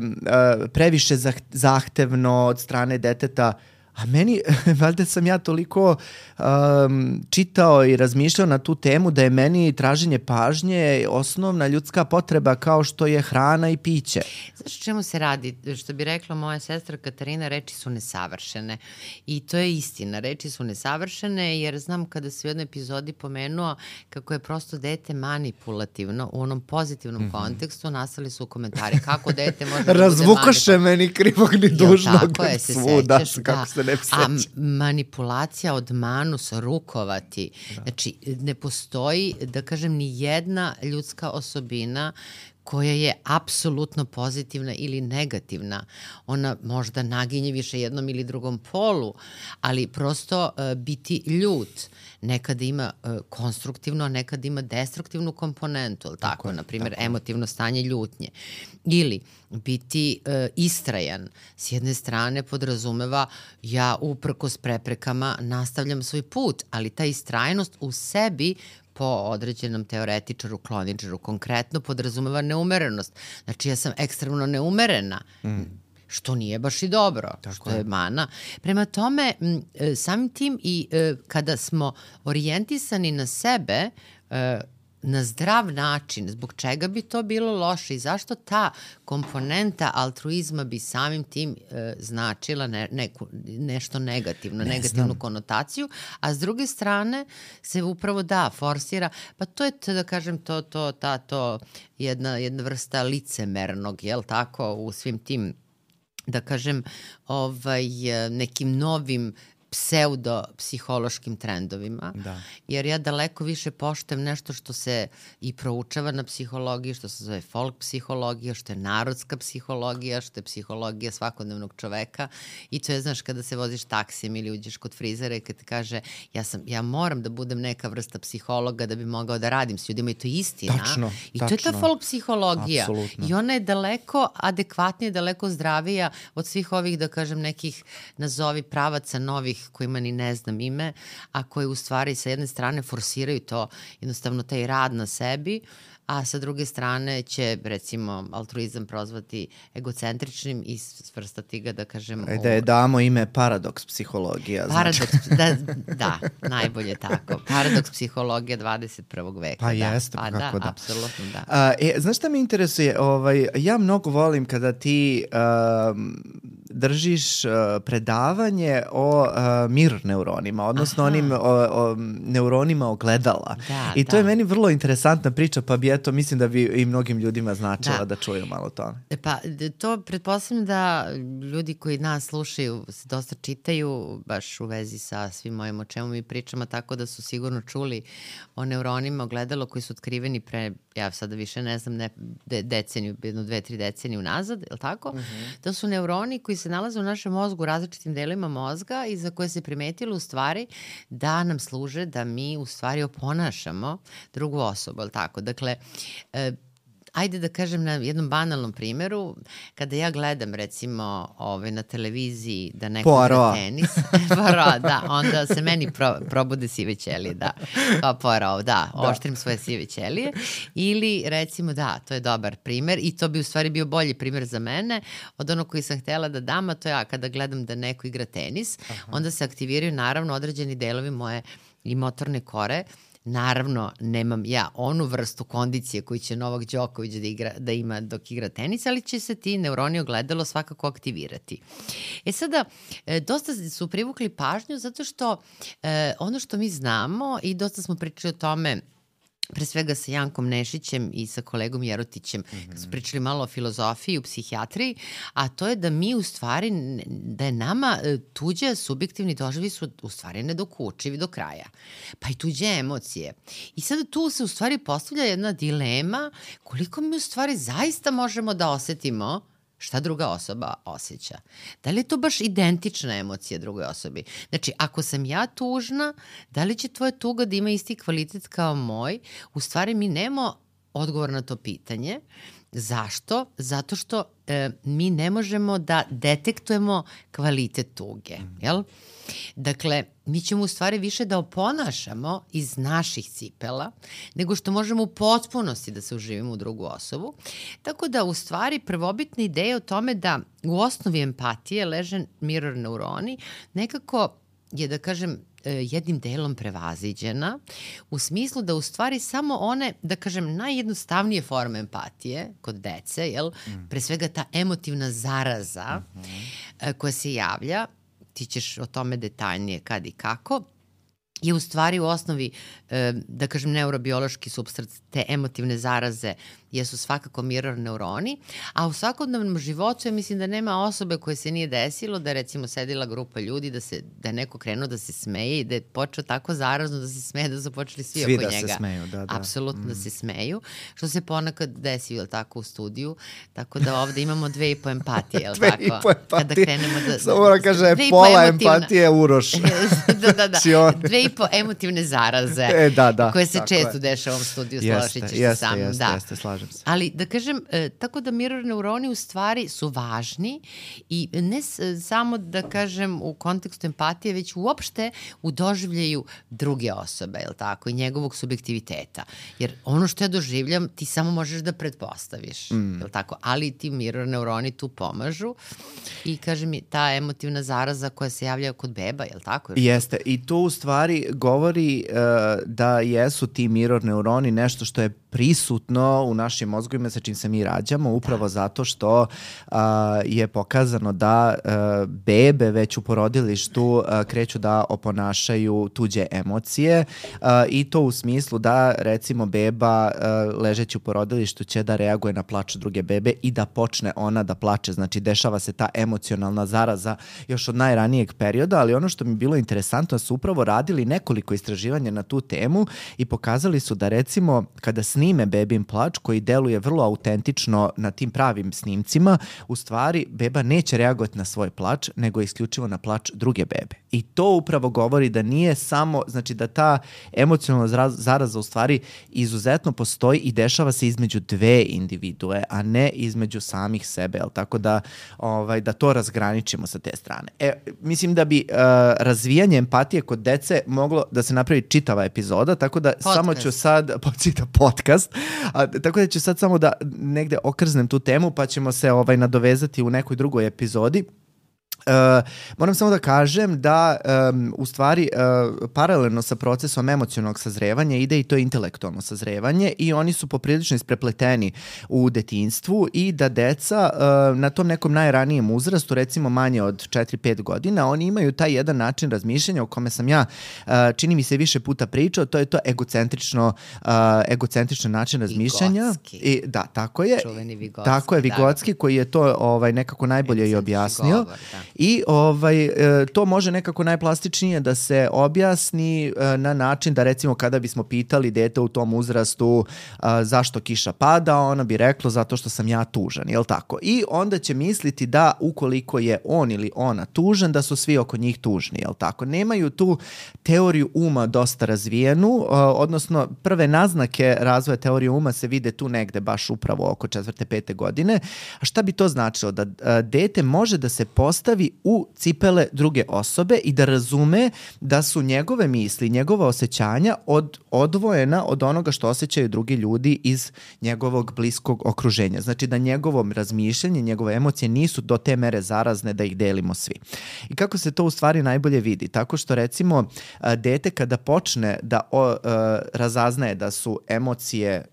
previše zahtevno od strane deteta. A meni, valjda sam ja toliko um, čitao i razmišljao na tu temu da je meni traženje pažnje osnovna ljudska potreba kao što je hrana i piće. Znaš o čemu se radi? Što bi rekla moja sestra Katarina, reči su nesavršene. I to je istina. Reči su nesavršene jer znam kada se u jednoj epizodi pomenuo kako je prosto dete manipulativno u onom pozitivnom mm-hmm. kontekstu, nastali su komentari kako dete može da bude razvukoše meni krivog ni dužnog. Jo, tako je, se svuda, sećaš, kako da. se ne A manipulacija od manus, rukovati. Da. Znači, ne postoji, da kažem, ni jedna ljudska osobina koja je apsolutno pozitivna ili negativna. Ona možda naginje više jednom ili drugom polu, ali prosto uh, biti ljut nekada ima uh, konstruktivno, a nekada ima destruktivnu komponentu, ali tako, tako na primjer, emotivno stanje ljutnje. Ili biti uh, istrajan. S jedne strane podrazumeva ja uprkos preprekama nastavljam svoj put, ali ta istrajnost u sebi po određenom teoretičaru, kloničaru, konkretno podrazumeva neumerenost. Znači ja sam ekstremno neumerena, mm. što nije baš i dobro, tako što je. je mana. Prema tome, samim tim i kada smo orijentisani na sebe, na zdrav način, zbog čega bi to bilo loše i zašto ta komponenta altruizma bi samim tim e, značila ne, neku, nešto negativno, ne negativnu znam. konotaciju, a s druge strane se upravo da, forsira, pa to je, da kažem, to, to, ta, to jedna, jedna vrsta licemernog, jel tako, u svim tim, da kažem, ovaj, nekim novim pseudo-psihološkim trendovima, Da. jer ja daleko više poštujem nešto što se i proučava na psihologiji, što se zove folk psihologija, što je narodska psihologija, što je psihologija svakodnevnog čoveka i to je, znaš, kada se voziš taksijem ili uđeš kod frizera i kad ti kaže ja, sam, ja moram da budem neka vrsta psihologa da bi mogao da radim s ljudima i to je istina. Tačno, I tačno. to je ta folk psihologija. Apsolutno. I ona je daleko adekvatnija, daleko zdravija od svih ovih, da kažem, nekih nazovi pravaca novih kojima ni ne znam ime, a koji u stvari sa jedne strane forsiraju to, jednostavno taj rad na sebi, a sa druge strane će, recimo, altruizam prozvati egocentričnim i svrstati ga, da kažem... E, da je damo ime paradoks psihologija. Paradoks, da, da, najbolje tako. Paradoks psihologija dvadeset prvog veka. Pa da. jeste, pa kako da. da. Apsolutno, da. A, e, znaš šta me interesuje? Ovaj, ja mnogo volim kada ti um, držiš uh, predavanje o uh, mirror neuronima, odnosno Aha. onim o, o, neuronima ogledala. Da, I to da. je meni vrlo interesantna priča, pa bi eto, mislim da bi i mnogim ljudima značila da, Da. da čuju malo o tome. E Pa d- to pretpostavljam da ljudi koji nas slušaju se dosta čitaju baš u vezi sa svim mojim o čemu mi pričamo, tako da su sigurno čuli o neuronima ogledalo koji su otkriveni pre, ja sada više ne znam, ne, de, deceniju, jedno, dve, tri decenije unazad, je li tako? Mm-hmm. To su neuroni koji se nalaze u našem mozgu, u različitim delima mozga i za koje se primetilo u stvari da nam služe da mi u stvari oponašamo drugu osobu, je li tako? Dakle, e, ajde da kažem na jednom banalnom primjeru, kada ja gledam recimo ovaj, na televiziji da neko Poirot. igra tenis, Poirot, da, onda se meni pro, probude sive ćelije, da, kao Poirot, da, oštrim svoje sive ćelije, ili recimo da, to je dobar primjer i to bi u stvari bio bolji primjer za mene od onog koji sam htjela da dam, a to ja kada gledam da neko igra tenis, Aha. onda se aktiviraju naravno određeni delovi moje i motorne kore. Naravno, nemam ja onu vrstu kondicije koju će Novak Đoković da, igra, da ima dok igra tenis, ali će se ti neuroni ogledalo svakako aktivirati. E sada, e, dosta su privukli pažnju zato što e, ono što mi znamo i dosta smo pričali o tome pre svega sa Jankom Nešićem i sa kolegom Jerotićem, mm-hmm. kad su pričali malo o filozofiji, u psihijatriji, a to je da mi u stvari, da je nama tuđe subjektivni doživi su u stvari nedokučivi do kraja. Pa i tuđe emocije. I sada tu se u stvari postavlja jedna dilema koliko mi u stvari zaista možemo da osetimo šta druga osoba osjeća. Da li je to baš identična emocija drugoj osobi? Znači, ako sam ja tužna, da li će tvoja tuga da ima isti kvalitet kao moj? U stvari mi nemamo odgovor na to pitanje. Zašto? Zato što e, mi ne možemo da detektujemo kvalitet tuge. Jel? Dakle, mi ćemo u stvari više da oponašamo iz naših cipela, nego što možemo u potpunosti da se uživimo u drugu osobu. Tako da, u stvari, prvobitna ideja o tome da u osnovi empatije leže mirror neuroni, nekako je, da kažem, jednim delom prevaziđena, u smislu da u stvari samo one, da kažem, najjednostavnije forme empatije kod dece, jel, mm. pre svega ta emotivna zaraza mm-hmm. koja se javlja, ti ćeš o tome detaljnije kad i kako, je u stvari u osnovi, da kažem, neurobiološki supstrat te emotivne zaraze jesu svakako mirror neuroni, a u svakodnevnom životu ja mislim da nema osobe koje se nije desilo da je recimo sedila grupa ljudi, da, se, da je neko krenuo da se smeje i da je počeo tako zarazno da se smeje da su počeli svi, svi oko da njega. Se smeju, da, da. Apsolutno mm. da se smeju, što se ponekad desi, jel tako, u studiju, tako da ovde imamo dve i po empatije, jel dve tako? i po empatije. Kada krenemo da... Samo mora kaže, pola empatije Uroš. da, da, da. Dve i po emotivne zaraze, e, da, da, koje se često je. dešava u ovom studiju, složit ćeš se sam. Jeste, da. jeste, slažem se. Ali da kažem, e, tako da mirror neuroni u stvari su važni i ne s, samo da kažem u kontekstu empatije, već uopšte u doživljaju druge osobe, jel tako, i njegovog subjektiviteta. Jer ono što ja doživljam, ti samo možeš da pretpostaviš, mm. jel tako, ali ti mirror neuroni tu pomažu i kažem mi, ta emotivna zaraza koja se javlja kod beba, jel tako? Jeste, i to u stvari govori uh, da jesu ti mirror neuroni nešto što je prisutno u našim mozgovima sa čim se mi rađamo, upravo da. zato što a, je pokazano da a, bebe već u porodilištu a, kreću da oponašaju tuđe emocije a, i to u smislu da recimo beba a, ležeći u porodilištu će da reaguje na plač druge bebe i da počne ona da plače. Znači dešava se ta emocionalna zaraza još od najranijeg perioda, ali ono što mi je bilo interesantno su upravo radili nekoliko istraživanja na tu temu i pokazali su da recimo kada snime bebin plač koji deluje vrlo autentično na tim pravim snimcima, u stvari beba neće reagovati na svoj plač, nego isključivo na plač druge bebe. I to upravo govori da nije samo, znači da ta emocionalna zaraza u stvari izuzetno postoji i dešava se između dve individue, a ne između samih sebe, jel? Tako da, ovaj, da to razgraničimo sa te strane. E, mislim da bi uh, razvijanje empatije kod dece moglo da se napravi čitava epizoda, tako da podcast. samo ću sad, počita podcast, a, tako da ću sad samo da negde okrznem tu temu, pa ćemo se ovaj nadovezati u nekoj drugoj epizodi. Uh, moram samo da kažem da um, u stvari uh, paralelno sa procesom emocionalnog sazrevanja ide i to intelektualno sazrevanje i oni su poprilično isprepleteni u detinjstvu i da deca uh, na tom nekom najranijem uzrastu, recimo manje od četiri pet godina, oni imaju taj jedan način razmišljanja o kome sam ja uh, čini mi se više puta pričao, to je to egocentrično uh, egocentričan način razmišljanja. Vigotski. I, da, tako je. Čuveni Vigotski. Tako je, Vigotski, da. koji je to ovaj, nekako najbolje i objasnio. Govor, da. I ovaj, to može nekako najplastičnije da se objasni na način da recimo kada bismo pitali dete u tom uzrastu zašto kiša pada, ono bi reklo zato što sam ja tužan, jel tako? I onda će misliti da ukoliko je on ili ona tužan, da su svi oko njih tužni, jel tako? Nemaju tu teoriju uma dosta razvijenu, odnosno prve naznake razvoja teorije uma se vide tu negde baš upravo oko četvrte, pete godine. A šta bi to značilo? Da dete može da se postavi u cipele druge osobe i da razume da su njegove misli, njegova osjećanja od, odvojena od onoga što osjećaju drugi ljudi iz njegovog bliskog okruženja. Znači da njegovom razmišljanje, njegove emocije nisu do te mere zarazne da ih delimo svi. I kako se to u stvari najbolje vidi? Tako što recimo dete kada počne da o, razaznaje da su emocije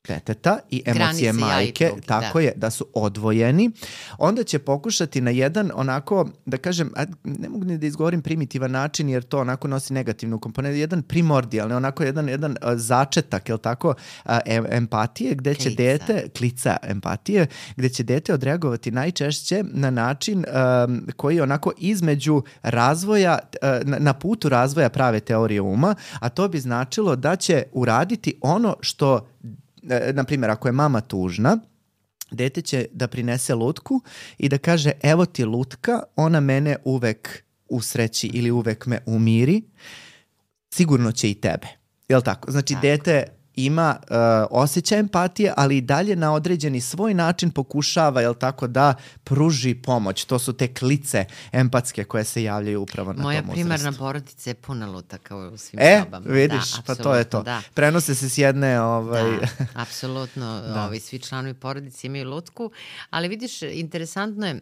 deteta i emocije granice majke, ja i drugi, tako da. je, da su odvojeni, onda će pokušati na jedan onako, da kažem, ne mogu ni da izgovorim primitivan način jer to onako nosi negativnu komponentu, jedan primordijalni, onako jedan, jedan začetak, jel tako, empatije, gde će klica. dete, klica empatije, gde će dete odreagovati najčešće na način um, koji je onako između razvoja, na, na putu razvoja prave teorije uma, a to bi značilo da će uraditi ono što, na primjer, ako je mama tužna, dete će da prinese lutku i da kaže evo ti lutka, ona mene uvek usreći ili uvek me umiri, sigurno će i tebe. Jel tako? Znači tako. Dete ima uh, osjećaj empatije, ali i dalje na određeni svoj način pokušava, jel tako, da pruži pomoć. To su te klice empatske koje se javljaju upravo na Moja tom primarna uzrastu. porodica je puna lutaka u svim e, sobama. E, vidiš, da, pa to je to. Da. Prenose se s jedne... Ovaj... Da, apsolutno. da. Ovi, svi članovi porodice imaju lutku, ali vidiš, interesantno je,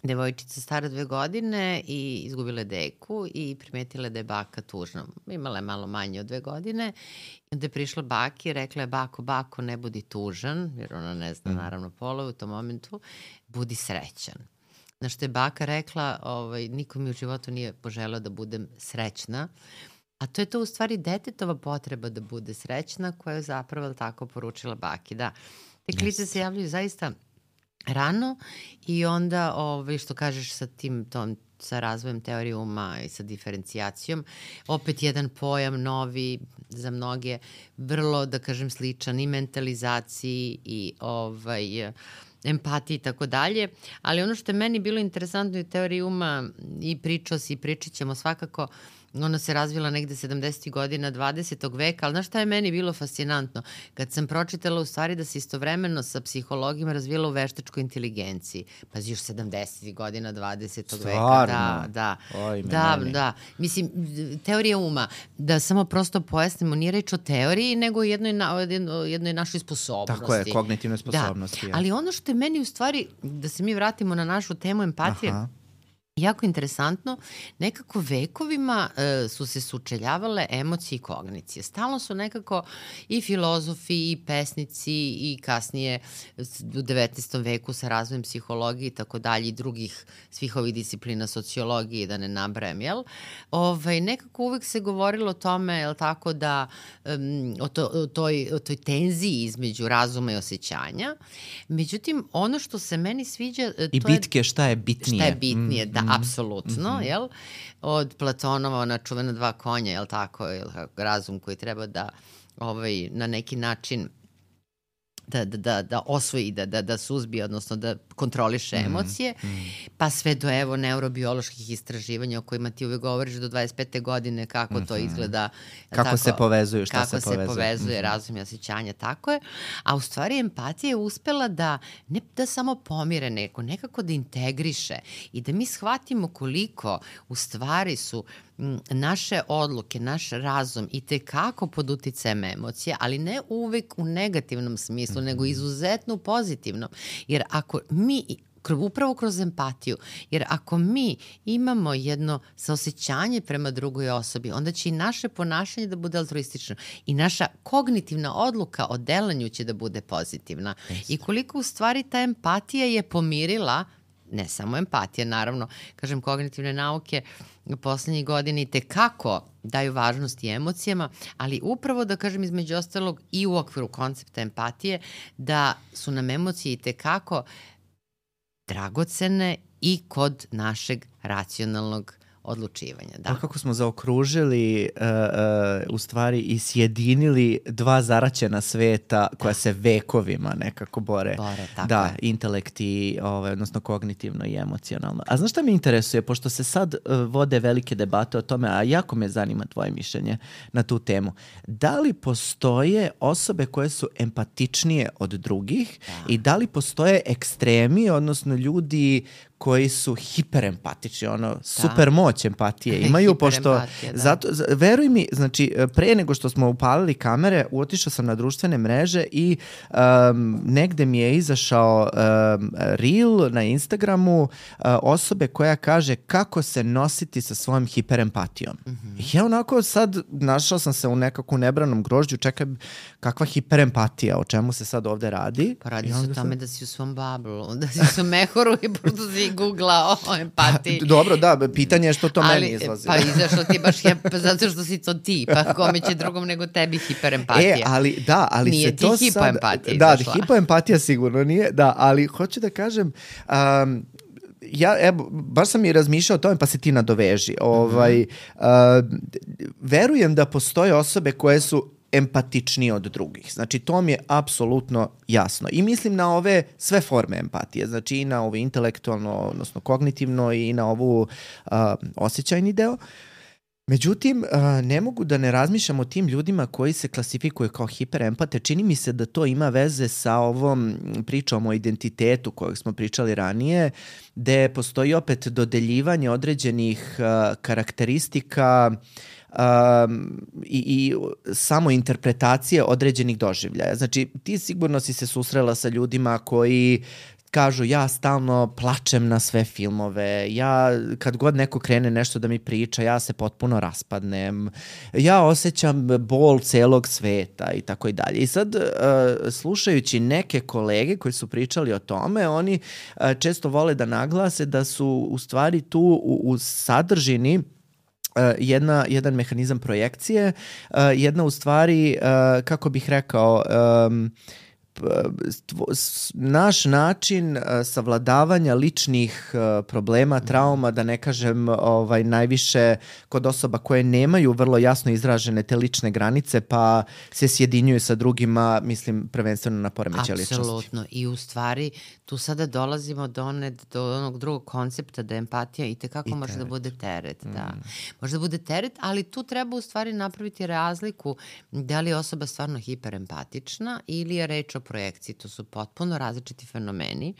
devojčica stara dve godine i izgubila je deku i primetila da je baka tužna. Imala je malo manje od dve godine. I onda je prišla baki i rekla je bako, bako, ne budi tužan, jer ona ne zna mm. naravno polove u tom momentu, budi srećan. Na što je baka rekla, ovaj, niko mi u životu nije poželeo da budem srećna. A to je to u stvari detetova potreba da bude srećna koja je zapravo tako poručila baki. Da, te klice yes. se javljaju zaista rano i onda, ovaj, što kažeš sa tim tom, sa razvojem teorije uma i sa diferencijacijom, opet jedan pojam novi za mnoge, vrlo, da kažem, sličan i mentalizaciji i ovaj, empatiji i tako dalje, ali ono što je meni bilo interesantno u teoriji uma i pričao si i pričat ćemo svakako, ona se razvila negde sedamdesetih godina dvadesetog veka, ali znaš šta je meni bilo fascinantno? Kad sam pročitala u stvari da se istovremeno sa psihologima razvila u veštačkoj inteligenciji. Pazi, još sedamdesetih godina dvadesetog veka. Da, da. Oj, da, da. Mislim, teorija uma, da samo prosto pojasnimo, nije reč o teoriji, nego o jednoj, na, jednoj našoj sposobnosti. Tako je, kognitivne sposobnosti. Da. Ali ono što je meni u stvari, da se mi vratimo na našu temu empatije, aha. jako interesantno, nekako vekovima e, su se sučeljavale emocije i kognicije. Stalno su nekako i filozofi i pesnici i kasnije u devetnaestom veku sa razvojem psihologije i tako dalje i drugih svih ovih disciplina sociologije, da ne nabrajam, jel? Ovaj, nekako uvek se govorilo o tome, jel tako, da um, o, to, o, toj, o toj tenziji između razuma i osjećanja. Međutim, ono što se meni sviđa... To I bitke, šta je bitnije. Šta je bitnije, mm, da, mm, apsolutno, mm-hmm. jel? Od Platonova, ona čuvena dva konja, jel tako, jel, razum koji treba da ovaj, na neki način da, da, da, da osvoji, da, da, da suzbije, odnosno da kontroliše emocije, mm, mm. pa sve do evo neurobioloških istraživanja o kojima ti uvek govoriš do dvadeset pete godine, kako mm-hmm. to izgleda. Kako tako, se povezuju, šta kako se povezuje. Kako se povezuje, mm-hmm. razum i osjećanja, tako je. A u stvari empatija je uspela da ne da samo pomire neko, nekako da integriše i da mi shvatimo koliko u stvari su naše odluke, naš razum i tekako pod uticajem emocija, ali ne uvek u negativnom smislu, mm-hmm. nego izuzetno pozitivnom. Jer ako mi upravo kroz empatiju, jer ako mi imamo jedno saosećanje prema drugoj osobi, onda će i naše ponašanje da bude altruistično i naša kognitivna odluka o delanju će da bude pozitivna. Yes. I koliko u stvari ta empatija je pomirila, ne samo empatija, naravno, kažem, kognitivne nauke u poslednjih godina i tekako daju važnost i emocijama, ali upravo da kažem između ostalog i u okviru koncepta empatije, da su nam emocije i tekako dragocene i kod našeg racionalnog odlučivanja. Da. Kako smo zaokružili uh, uh, u stvari i sjedinili dva zaraćena sveta koja da. se vekovima nekako bore. Bore, tako da, je. intelekt i, ovaj, odnosno kognitivno i emocionalno. A znaš šta me interesuje? Pošto se sad uh, vode velike debate o tome, a jako me zanima tvoje mišljenje na tu temu. Da li postoje osobe koje su empatičnije od drugih da. i da li postoje ekstremi, odnosno ljudi koji su hiperempatični, ono, super moć empatije imaju, pošto, da. zato, veruj mi, znači, pre nego što smo upalili kamere, otišao sam na društvene mreže i um, negde mi je izašao um, reel na Instagramu uh, osobe koja kaže kako se nositi sa svojom hiperempatijom. Mm-hmm. I ja onako sad našao sam se u nekakvom nebranom grožđu, čekaj, kakva hiperempatija, o čemu se sad ovde radi? Pa radi se o tome sam... da si u svom bablu, da si u svom mehoru i pošto si googlao o empatiji. Pa, dobro, da, pitanje je što to ali, meni izlazi. Pa izašlo ti baš je, zato što si to ti, pa kome će drugom nego tebi hiperempatija. E, ali da, ali nije se to sad... Nije ti hipoempatija Da, izašla. hipoempatija sigurno nije, da, ali hoću da kažem... Um, ja, evo, baš sam i razmišljao o tome, pa se ti nadoveži. Ovaj, uh, verujem da postoje osobe koje su empatičniji od drugih. Znači, to mi je apsolutno jasno. I mislim na ove sve forme empatije. Znači, i na ovo intelektualno, odnosno kognitivno i na ovu uh, osjećajni deo. Međutim, uh, ne mogu da ne razmišljam o tim ljudima koji se klasifikuju kao hiperempate. Čini mi se da to ima veze sa ovom pričom o identitetu kojeg smo pričali ranije, gde postoji opet dodeljivanje određenih uh, karakteristika Um, i, i samo interpretacije određenih doživljaja. Znači, ti sigurno si se susrela sa ljudima koji kažu ja stalno plačem na sve filmove, ja kad god neko krene nešto da mi priča, ja se potpuno raspadnem, ja osjećam bol celog sveta i tako i dalje. I sad, uh, slušajući neke kolege koji su pričali o tome, oni uh, često vole da naglase da su u stvari tu u, u sadržini Uh, jedna, jedan mehanizam projekcije, uh, jedna u stvari, uh, kako bih rekao, um, naš način savladavanja ličnih problema, trauma, da ne kažem ovaj, najviše kod osoba koje nemaju vrlo jasno izražene te lične granice, pa se sjedinjuju sa drugima, mislim, prvenstveno na poremećaj ličnosti. Apsolutno. I u stvari, tu sada dolazimo do, one, do onog drugog koncepta da empatija i tekako I može teret. da bude teret. Mm. Da. Može da bude teret, ali tu treba u stvari napraviti razliku da li je osoba stvarno hiperempatična ili je reč o projekciji. To su potpuno različiti fenomeni,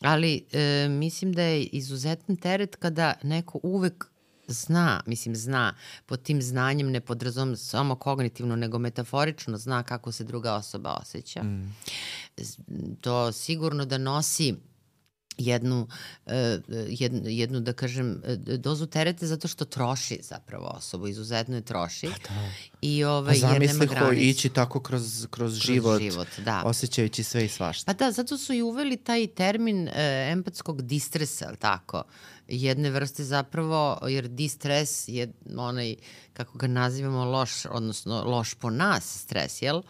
ali e, mislim da je izuzetan teret kada neko uvek zna, mislim zna, pod tim znanjem ne podrazum samo kognitivno, nego metaforično zna kako se druga osoba osjeća. Mm. To sigurno da nosi jednu, jednu, jednu, da kažem, dozu terete zato što troši zapravo osobu, izuzetno je troši. Pa da. I ovaj, pa jer nema zamisli ko granicu. ići tako kroz, kroz, kroz život, život da. osjećajući sve i svašta. Pa da, zato su i uveli taj termin e, empatskog distresa, ali tako? Jedne vrste zapravo, jer distres je onaj, kako ga nazivamo, loš, odnosno loš po nas stres, jel?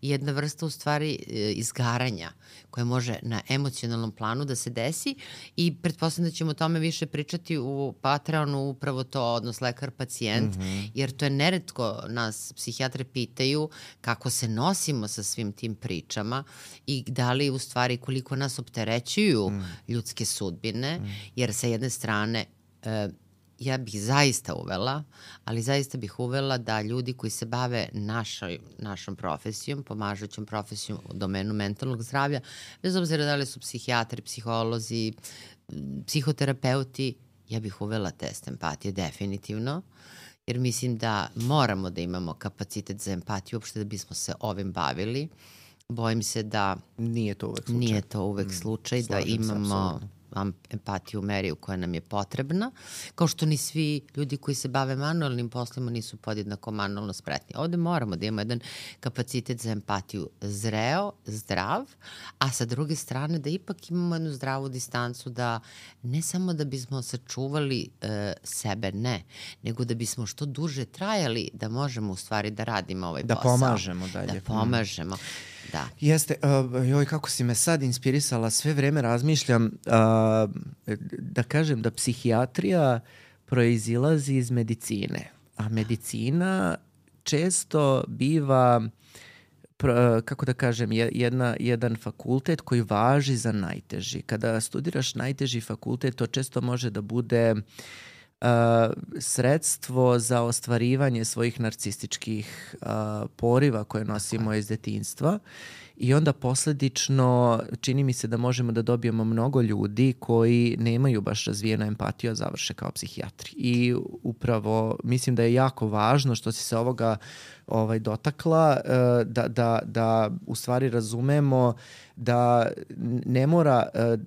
Jedna vrsta u stvari e, izgaranja koja može na emocionalnom planu da se desi i pretpostavljam da ćemo o tome više pričati u Patreonu, upravo to, odnos lekar-pacijent, mm-hmm. jer to je neretko nas psihijatre pitaju kako se nosimo sa svim tim pričama i da li u stvari koliko nas opterećuju mm. ljudske sudbine, mm. jer sa jedne strane e, ja bih zaista uvela, ali zaista bih uvela da ljudi koji se bave našoj, našom profesijom, pomažućom profesijom u domenu mentalnog zdravlja, bez obzira da li su psihijatri, psiholozi, psihoterapeuti, ja bih uvela test empatije definitivno, jer mislim da moramo da imamo kapacitet za empatiju uopšte da bismo se ovim bavili. Bojim se da nije to uvek slučaj, nije to uvek slučaj mm, da imamo empatiju u meri u koja nam je potrebna, kao što ni svi ljudi koji se bave manualnim poslima nisu podjednako manualno spretni. Ovde moramo da imamo jedan kapacitet za empatiju zreo, zdrav, a sa druge strane da ipak imamo jednu zdravu distancu, da ne samo da bismo sačuvali e, sebe, ne, nego da bismo što duže trajali da možemo u stvari da radimo ovaj da posao. Da pomažemo dalje. Da pomažemo. Da. Jeste, uh, joj kako si me sad inspirisala, sve vreme razmišljam uh, da kažem da psihijatrija proizilazi iz medicine, a medicina često biva, uh, kako da kažem, jedna, jedan fakultet koji važi za najteži. Kada studiraš najteži fakultet, to često može da bude Uh, sredstvo za ostvarivanje svojih narcističkih uh, poriva koje nosimo iz detinjstva i onda posledično čini mi se da možemo da dobijemo mnogo ljudi koji nemaju baš razvijenu empatiju, a završe kao psihijatri. I upravo mislim da je jako važno što si se ovoga ovaj, dotakla, uh, da, da, da u stvari razumemo da ne mora uh,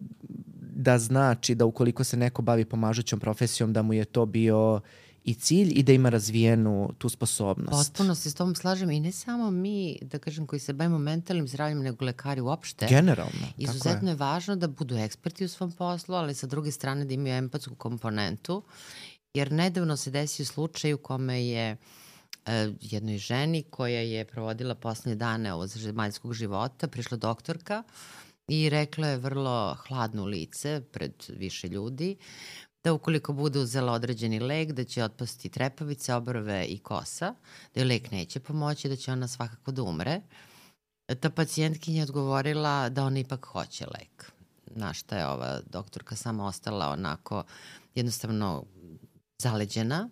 da znači da ukoliko se neko bavi pomažućom profesijom da mu je to bio i cilj i da ima razvijenu tu sposobnost. Potpuno se s tom slažem i ne samo mi, da kažem, koji se bavimo mentalnim zdravljem, nego lekari uopšte. Generalno. Izuzetno je. je važno da budu eksperti u svom poslu, ali sa druge strane da imaju empatsku komponentu, jer nedavno se desio slučaj u kome je e, jednoj ženi koja je provodila poslednje dane ovog zemaljskog života, prišla doktorka i rekla je vrlo hladno lice pred više ljudi da ukoliko bude uzela određeni lek, da će otpasti trepavice, obrve i kosa, da joj lek neće pomoći, da će ona svakako da umre. Ta pacijentkinja je odgovorila da ona ipak hoće lek. Na šta je ova doktorka sama ostala onako jednostavno zaleđena,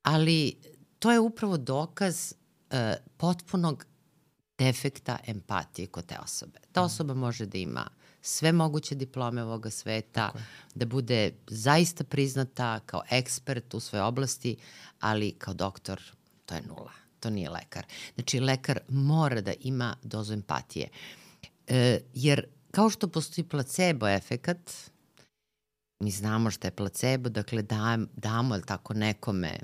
ali to je upravo dokaz uh, potpunog defekta empatije kod te osobe. Ta osoba može da ima sve moguće diplome ovoga sveta, da bude zaista priznata kao ekspert u svojoj oblasti, ali kao doktor to je nula. To nije lekar. Znači, lekar mora da ima dozu empatije. E, jer kao što postoji placebo efekat, mi znamo šta je placebo, dakle da, damo li tako nekome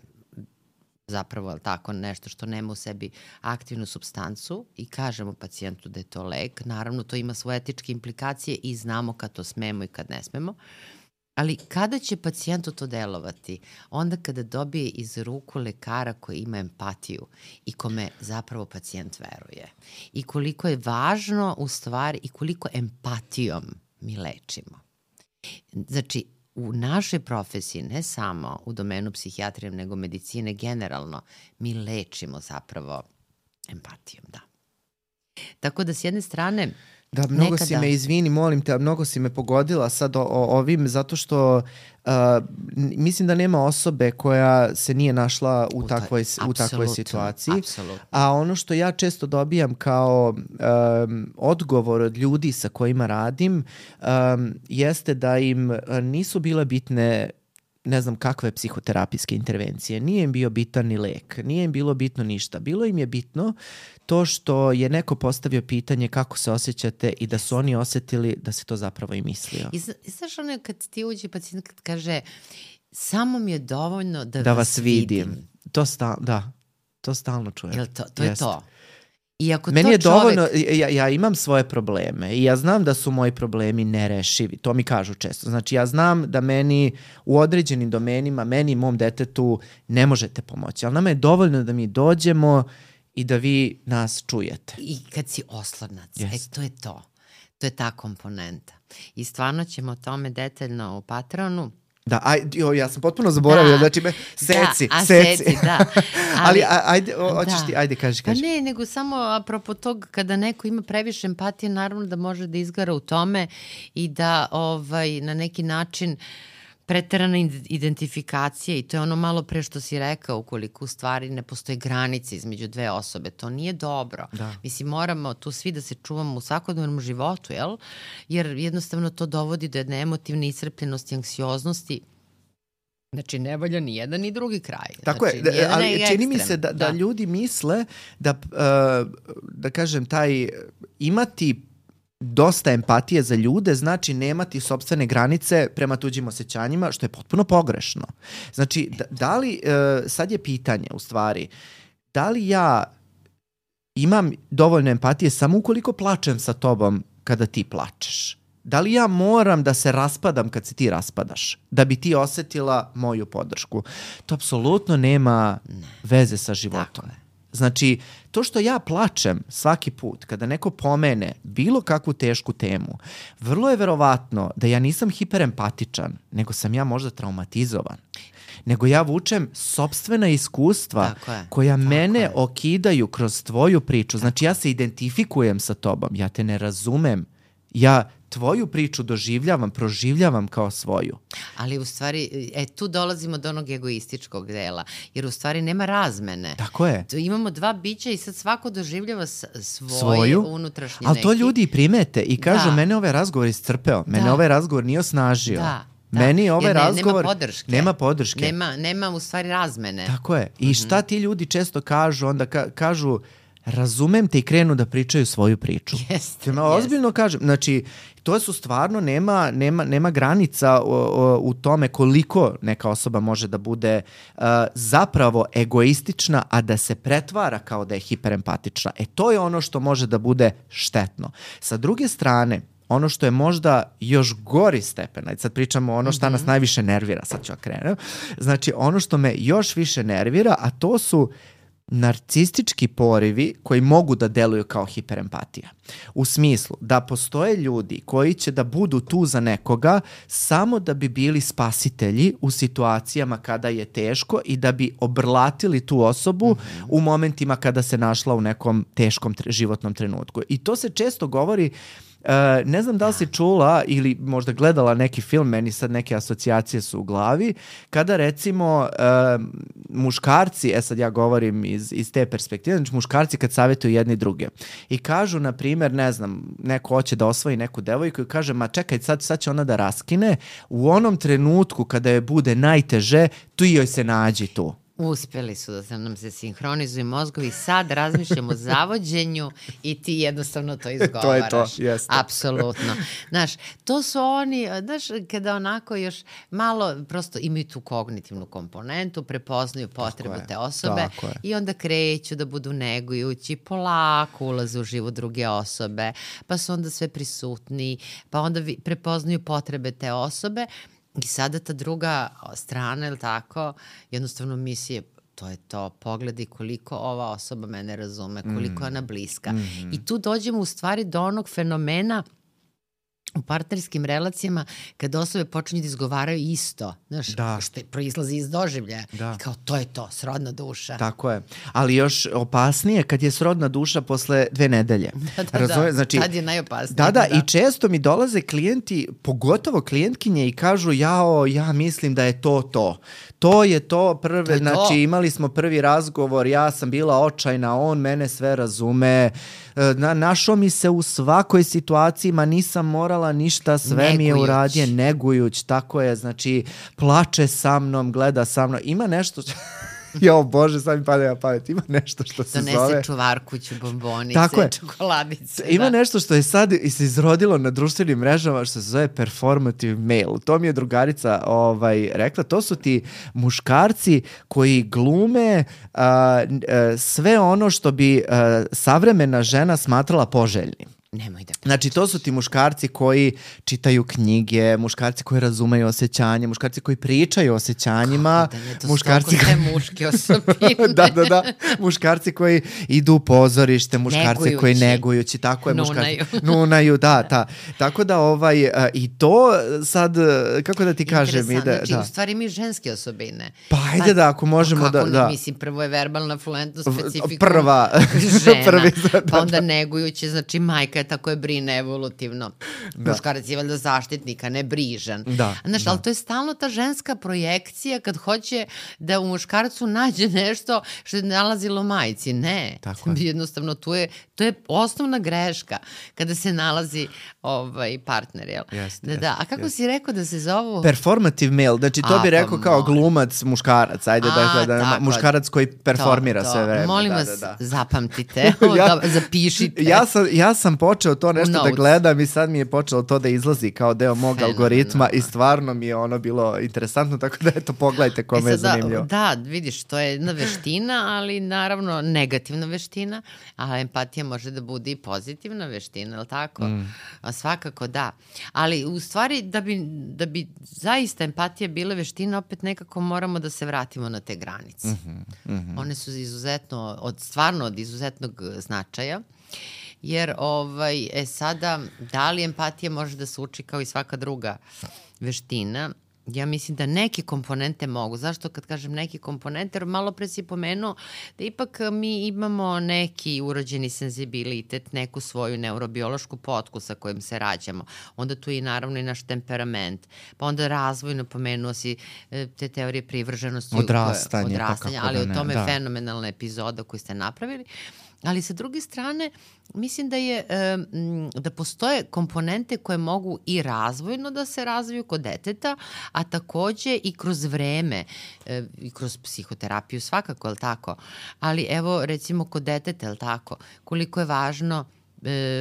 zapravo je tako nešto što nema u sebi aktivnu supstancu i kažemo pacijentu da je to lek. Naravno, to ima svoje etičke implikacije i znamo kad to smemo i kad ne smemo. Ali kada će pacijentu to delovati? Onda kada dobije iz ruku lekara koji ima empatiju i kome zapravo pacijent veruje. I koliko je važno u stvari i koliko empatijom mi lečimo. Znači, u našoj profesiji, ne samo u domenu psihijatrije, nego medicine generalno, mi lečimo zapravo empatijom, da. Tako da s jedne strane... Da, mnogo nekada... si me, izvini, molim te, mnogo si me pogodila sad o, o ovim, zato što uh, mislim da nema osobe koja se nije našla u, u, takvoj, u takvoj situaciji. Apsolutno. A ono što ja često dobijam kao um, odgovor od ljudi sa kojima radim um, jeste da im nisu bile bitne ne znam kakve psihoterapijske intervencije, nije im bio bitan ni lek, nije im bilo bitno ništa. Bilo im je bitno to što je neko postavio pitanje kako se osjećate i da su oni osjetili da se to zapravo i mislio. I, I znaš ono kad ti uđe pacijent kad kaže samo mi je dovoljno da, da vas vas vidim. vidim. To sta, da, to stalno čujem. Jel to, to Jest. je to. I ako Meni to je čovek... dovoljno, ja, ja imam svoje probleme i ja znam da su moji problemi nerešivi, to mi kažu često. Znači ja znam da meni u određenim domenima, meni i mom detetu ne možete pomoći, ali nama je dovoljno da mi dođemo i da vi nas čujete. I kad si oslonac, Yes. e to je to. To je ta komponenta. I stvarno ćemo o tome detaljno u Patronu. Da, aj, jo, ja sam potpuno zaboravio, Da. znači me, seci, da, a seci. seci, da. Ali, a, ajde, o, hoćeš da. ti, ajde, kaži, kaži. Pa ne, nego samo apropo tog, kada neko ima previše empatije, naravno da može da izgara u tome i da ovaj, na neki način preterana identifikacija, i to je ono malo pre što si rekao, ukoliko u stvari ne postoje granice između dve osobe, to nije dobro. Da. Mislim, moramo tu svi da se čuvamo u svakodnevnom životu, jel? Jer jednostavno to dovodi do jedne emotivne iscrpljenosti, anksioznosti. Znači, ne valja ni jedan ni drugi kraj. Tako znači, je, da, ali je čini mi ekstrem. se da, da. Da. ljudi misle da, uh, da kažem, taj imati dosta empatije za ljude znači nemati sopstvene granice prema tuđim osjećanjima, što je potpuno pogrešno. Znači, da, da li, uh, sad je pitanje u stvari, da li ja imam dovoljno empatije samo ukoliko plačem sa tobom kada ti plačeš? Da li ja moram da se raspadam kad se ti raspadaš, da bi ti osetila moju podršku? To apsolutno nema ne. veze sa životom. Znači, to što ja plačem svaki put kada neko pomene bilo kakvu tešku temu, vrlo je verovatno da ja nisam hiperempatičan, nego sam ja možda traumatizovan. Nego ja vučem sopstvena iskustva koja Tako mene je. okidaju kroz tvoju priču. Znači, ja se identifikujem sa tobom, ja te ne razumem. Ja tvoju priču doživljavam, proživljavam kao svoju. Ali u stvari, e, tu dolazimo do onog egoističkog dela, jer u stvari nema razmene. Tako je. Tu imamo dva bića i sad svako doživljava svoje svoju, unutrašnje ali neki. to ljudi primete i kažu, da. mene ovaj razgovor iscrpeo, mene da. ovaj razgovor nije osnažio. Da. Da. Meni ovaj ne, razgovor nema podrške. Nema podrške. Nema, nema u stvari razmene. Tako je. I šta ti ljudi često kažu, onda ka, kažu razumem te i krenu da pričaju svoju priču. Jeste, ja ozbiljno kažem. Znači, to su stvarno, nema, nema, nema granica o, o, u tome koliko neka osoba može da bude uh, zapravo egoistična, a da se pretvara kao da je hiperempatična. E, to je ono što može da bude štetno. Sa druge strane, ono što je možda još gori stepen, ajde sad pričamo ono šta mm-hmm. nas najviše nervira, sad ću okrenuti. Znači, ono što me još više nervira, a to su narcistički porivi koji mogu da deluju kao hiperempatija. U smislu da postoje ljudi koji će da budu tu za nekoga samo da bi bili spasitelji u situacijama kada je teško i da bi obrlatili tu osobu mm-hmm. u momentima kada se našla u nekom teškom tre- životnom trenutku. I to se često govori. Uh, ne znam da li si čula ili možda gledala neki film, meni sad neke asocijacije su u glavi, kada recimo uh, muškarci, e sad ja govorim iz, iz te perspektive, znači muškarci kad savjetuju jedni druge i kažu, na primjer, ne znam, neko hoće da osvoji neku devojku i kaže, ma čekaj, sad, sad će ona da raskine, u onom trenutku kada je bude najteže, tu joj se nađi tu. Uspeli su da se nam se sinhronizuju mozgovi, sad razmišljamo o zavođenju i ti jednostavno to izgovaraš. To je to, jeste. Apsolutno. Znaš, to su oni, znaš, kada onako još malo prosto imaju tu kognitivnu komponentu, prepoznaju potrebu te osobe i onda kreću da budu negujući, polako ulaze u život druge osobe, pa su onda sve prisutni, pa onda prepoznaju potrebe te osobe. I sada ta druga strana, ili tako, jednostavno misli, to je to, pogledi koliko ova osoba mene razume, koliko je ona bliska. Mm-hmm. I tu dođemo u stvari do onog fenomena u partnerskim relacijama kada osobe počinju da izgovaraju isto, znaš, da. što proizlazi iz doživljaja. Da. Kao to je to, srodna duša. Tako je. Ali još opasnije kad je srodna duša posle dve nedelje. Da, da, Razumije? Znači, tad je najopasnije. Da, da, da, i često mi dolaze klijenti, pogotovo klijentkinje i kažu, jao, ja mislim da je to to. To je to prve, to je znači to. Imali smo prvi razgovor, ja sam bila očajna, on mene sve razume, Na, našao mi se u svakoj situaciji, ma nisam morala mala ništa, sve negujuć. Mi je uradio, negujuć, tako je, znači plače sa mnom, gleda sa mnom, ima nešto što... Jo, Bože, sad mi pada na pamet. Ima nešto što se Donese zove... Donese čuvarkuću, bombonice, tako je. čokoladice. Ima da. nešto što je sad se izrodilo na društvenim mrežama što se zove performative male. To mi je drugarica ovaj, rekla. To su ti muškarci koji glume uh, uh, sve ono što bi uh, savremena žena smatrala poželjnim. Nemoj da pričaš. Znači, to su ti muškarci koji čitaju knjige, muškarci koji razumeju osjećanje, muškarci koji pričaju o osjećanjima. Kako da je to muškarci sve muške osobine. da, da, da. Muškarci koji idu u pozorište, muškarci negujući. Koji negujući, tako je. Nunaju. Muškarci, nunaju, da, da. Tako da, ovaj, i to sad, kako da ti kažem... Ide, znači, da. u stvari mi ženske osobine. Pa, ajde da, ako možemo kako, da... da. Mislim, prvo je verbalna fluentnost specifikum. Prva. Žena. Prvi, da, pa onda da. negujuće, znači majka je tako je brine evolutivno. Da. Muškarac je valjda zaštitnika, ne brižan. Da, znaš, da. ali to je stalno ta ženska projekcija kad hoće da u muškarcu nađe nešto što je nalazilo majci. Ne. Tako je. Jednostavno, tu je, to je osnovna greška kada se nalazi ovaj partner, jel? Jeste, da, jeste, da. A kako jeste. si rekao da se zovu? Performative male, znači to A, bi rekao pa kao moj. glumac, muškarac, ajde A, da, da, da muškarac koji performira to, to. sve vreme. Molim da, vas, da, da. zapamtite, ja, da, zapišite. Ja sam, ja sam počeo to nešto Notes. da gledam i sad mi je počelo to da izlazi kao deo mog Fenomenalno. algoritma i stvarno mi je ono bilo interesantno, tako da eto, pogledajte kome e je sada, zanimljivo. Da, vidiš, to je jedna veština, ali naravno negativna veština, a empatija može da bude i pozitivna veština, je li tako? Mm. A svakako da. Ali u stvari da bi, da bi zaista empatija bila veština, opet nekako moramo da se vratimo na te granice. Mm-hmm, mm-hmm. One su izuzetno, od, stvarno od izuzetnog značaja. Jer, ovaj, e sada, da li empatija može da se uči kao i svaka druga veština? Ja mislim da neke komponente mogu. Zašto kad kažem neke komponente? Jer malo pre si pomenuo da ipak mi imamo neki urođeni senzibilitet, neku svoju neurobiološku potku sa kojim se rađamo. Onda tu je naravno i naš temperament. Pa onda razvojno pomenuo si te teorije privrženosti. Odrastanje. Koje, odrastanje, ali da o tome da. je fenomenalna epizoda koju ste napravili. Ali sa druge strane, mislim da je da postoje komponente koje mogu i razvojno da se razviju kod deteta, a takođe i kroz vreme i kroz psihoterapiju svakako, je li tako? Ali evo recimo kod deteta, je li tako? Koliko je važno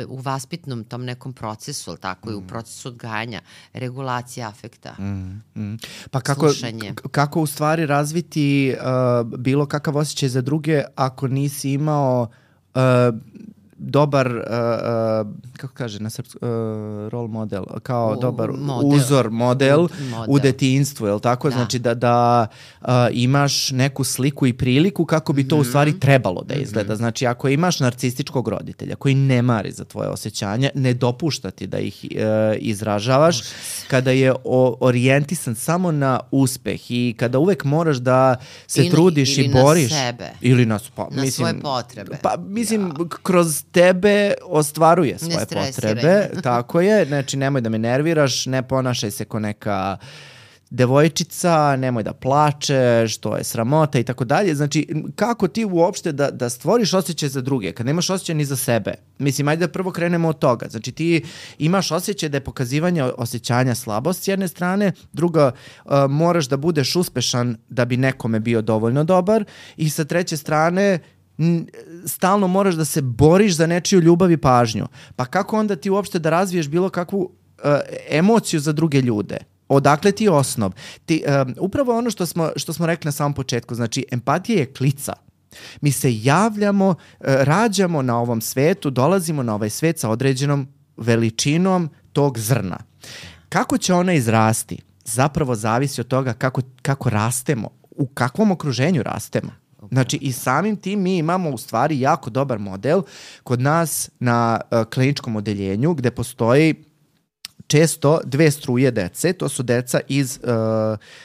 u vaspitnom tom nekom procesu, ali tako, mm. i u procesu odgajanja, regulacija afekta, mm, mm. Pa kako, slušanje. K- kako u stvari razviti uh, bilo kakav osjećaj za druge ako nisi imao uh, dobar, uh, uh, kako kaže na srpsku, uh, role model, kao U, dobar model. uzor, model, model u detinjstvu, je li tako? Da. Znači da, da uh, imaš neku sliku i priliku kako bi to mm-hmm. u stvari trebalo da izgleda. Mm-hmm. Znači ako imaš narcističkog roditelja koji ne mari za tvoje osjećanja, ne dopušta ti da ih uh, izražavaš, Užas. Kada je o, orijentisan samo na uspeh i kada uvek moraš da se ili, trudiš ili i boriš. Na sebe. Ili na, pa, na mislim, svoje potrebe. Pa mislim, ja. kroz tebe ostvaruje svoje potrebe, tako je, znači nemoj da me nerviraš, ne ponašaj se ko neka devojčica, nemoj da plačeš, to je sramota i tako dalje. Znači, kako ti uopšte da, da stvoriš osjećaj za druge, kad nemaš osjećaj ni za sebe? Mislim, ajde da prvo krenemo od toga. Znači, ti imaš osjećaj da je pokazivanje osjećanja slabost s jedne strane, druga, uh, moraš da budeš uspešan da bi nekome bio dovoljno dobar i sa treće strane, stalno moraš da se boriš za nečiju ljubav i pažnju. Pa kako onda ti uopšte da razviješ bilo kakvu uh, emociju za druge ljude? Odakle ti je osnov? Ti, um, upravo ono što smo, što smo rekli na samom početku, znači empatija je klica. Mi se javljamo, uh, rađamo na ovom svetu, dolazimo na ovaj svet sa određenom veličinom tog zrna. Kako će ona izrasti? Zapravo zavisi od toga kako, kako rastemo, u kakvom okruženju rastemo. Znači i samim tim mi imamo u stvari jako dobar model kod nas na uh, kliničkom odeljenju gde postoji često dve struje dece, to su deca iz uh,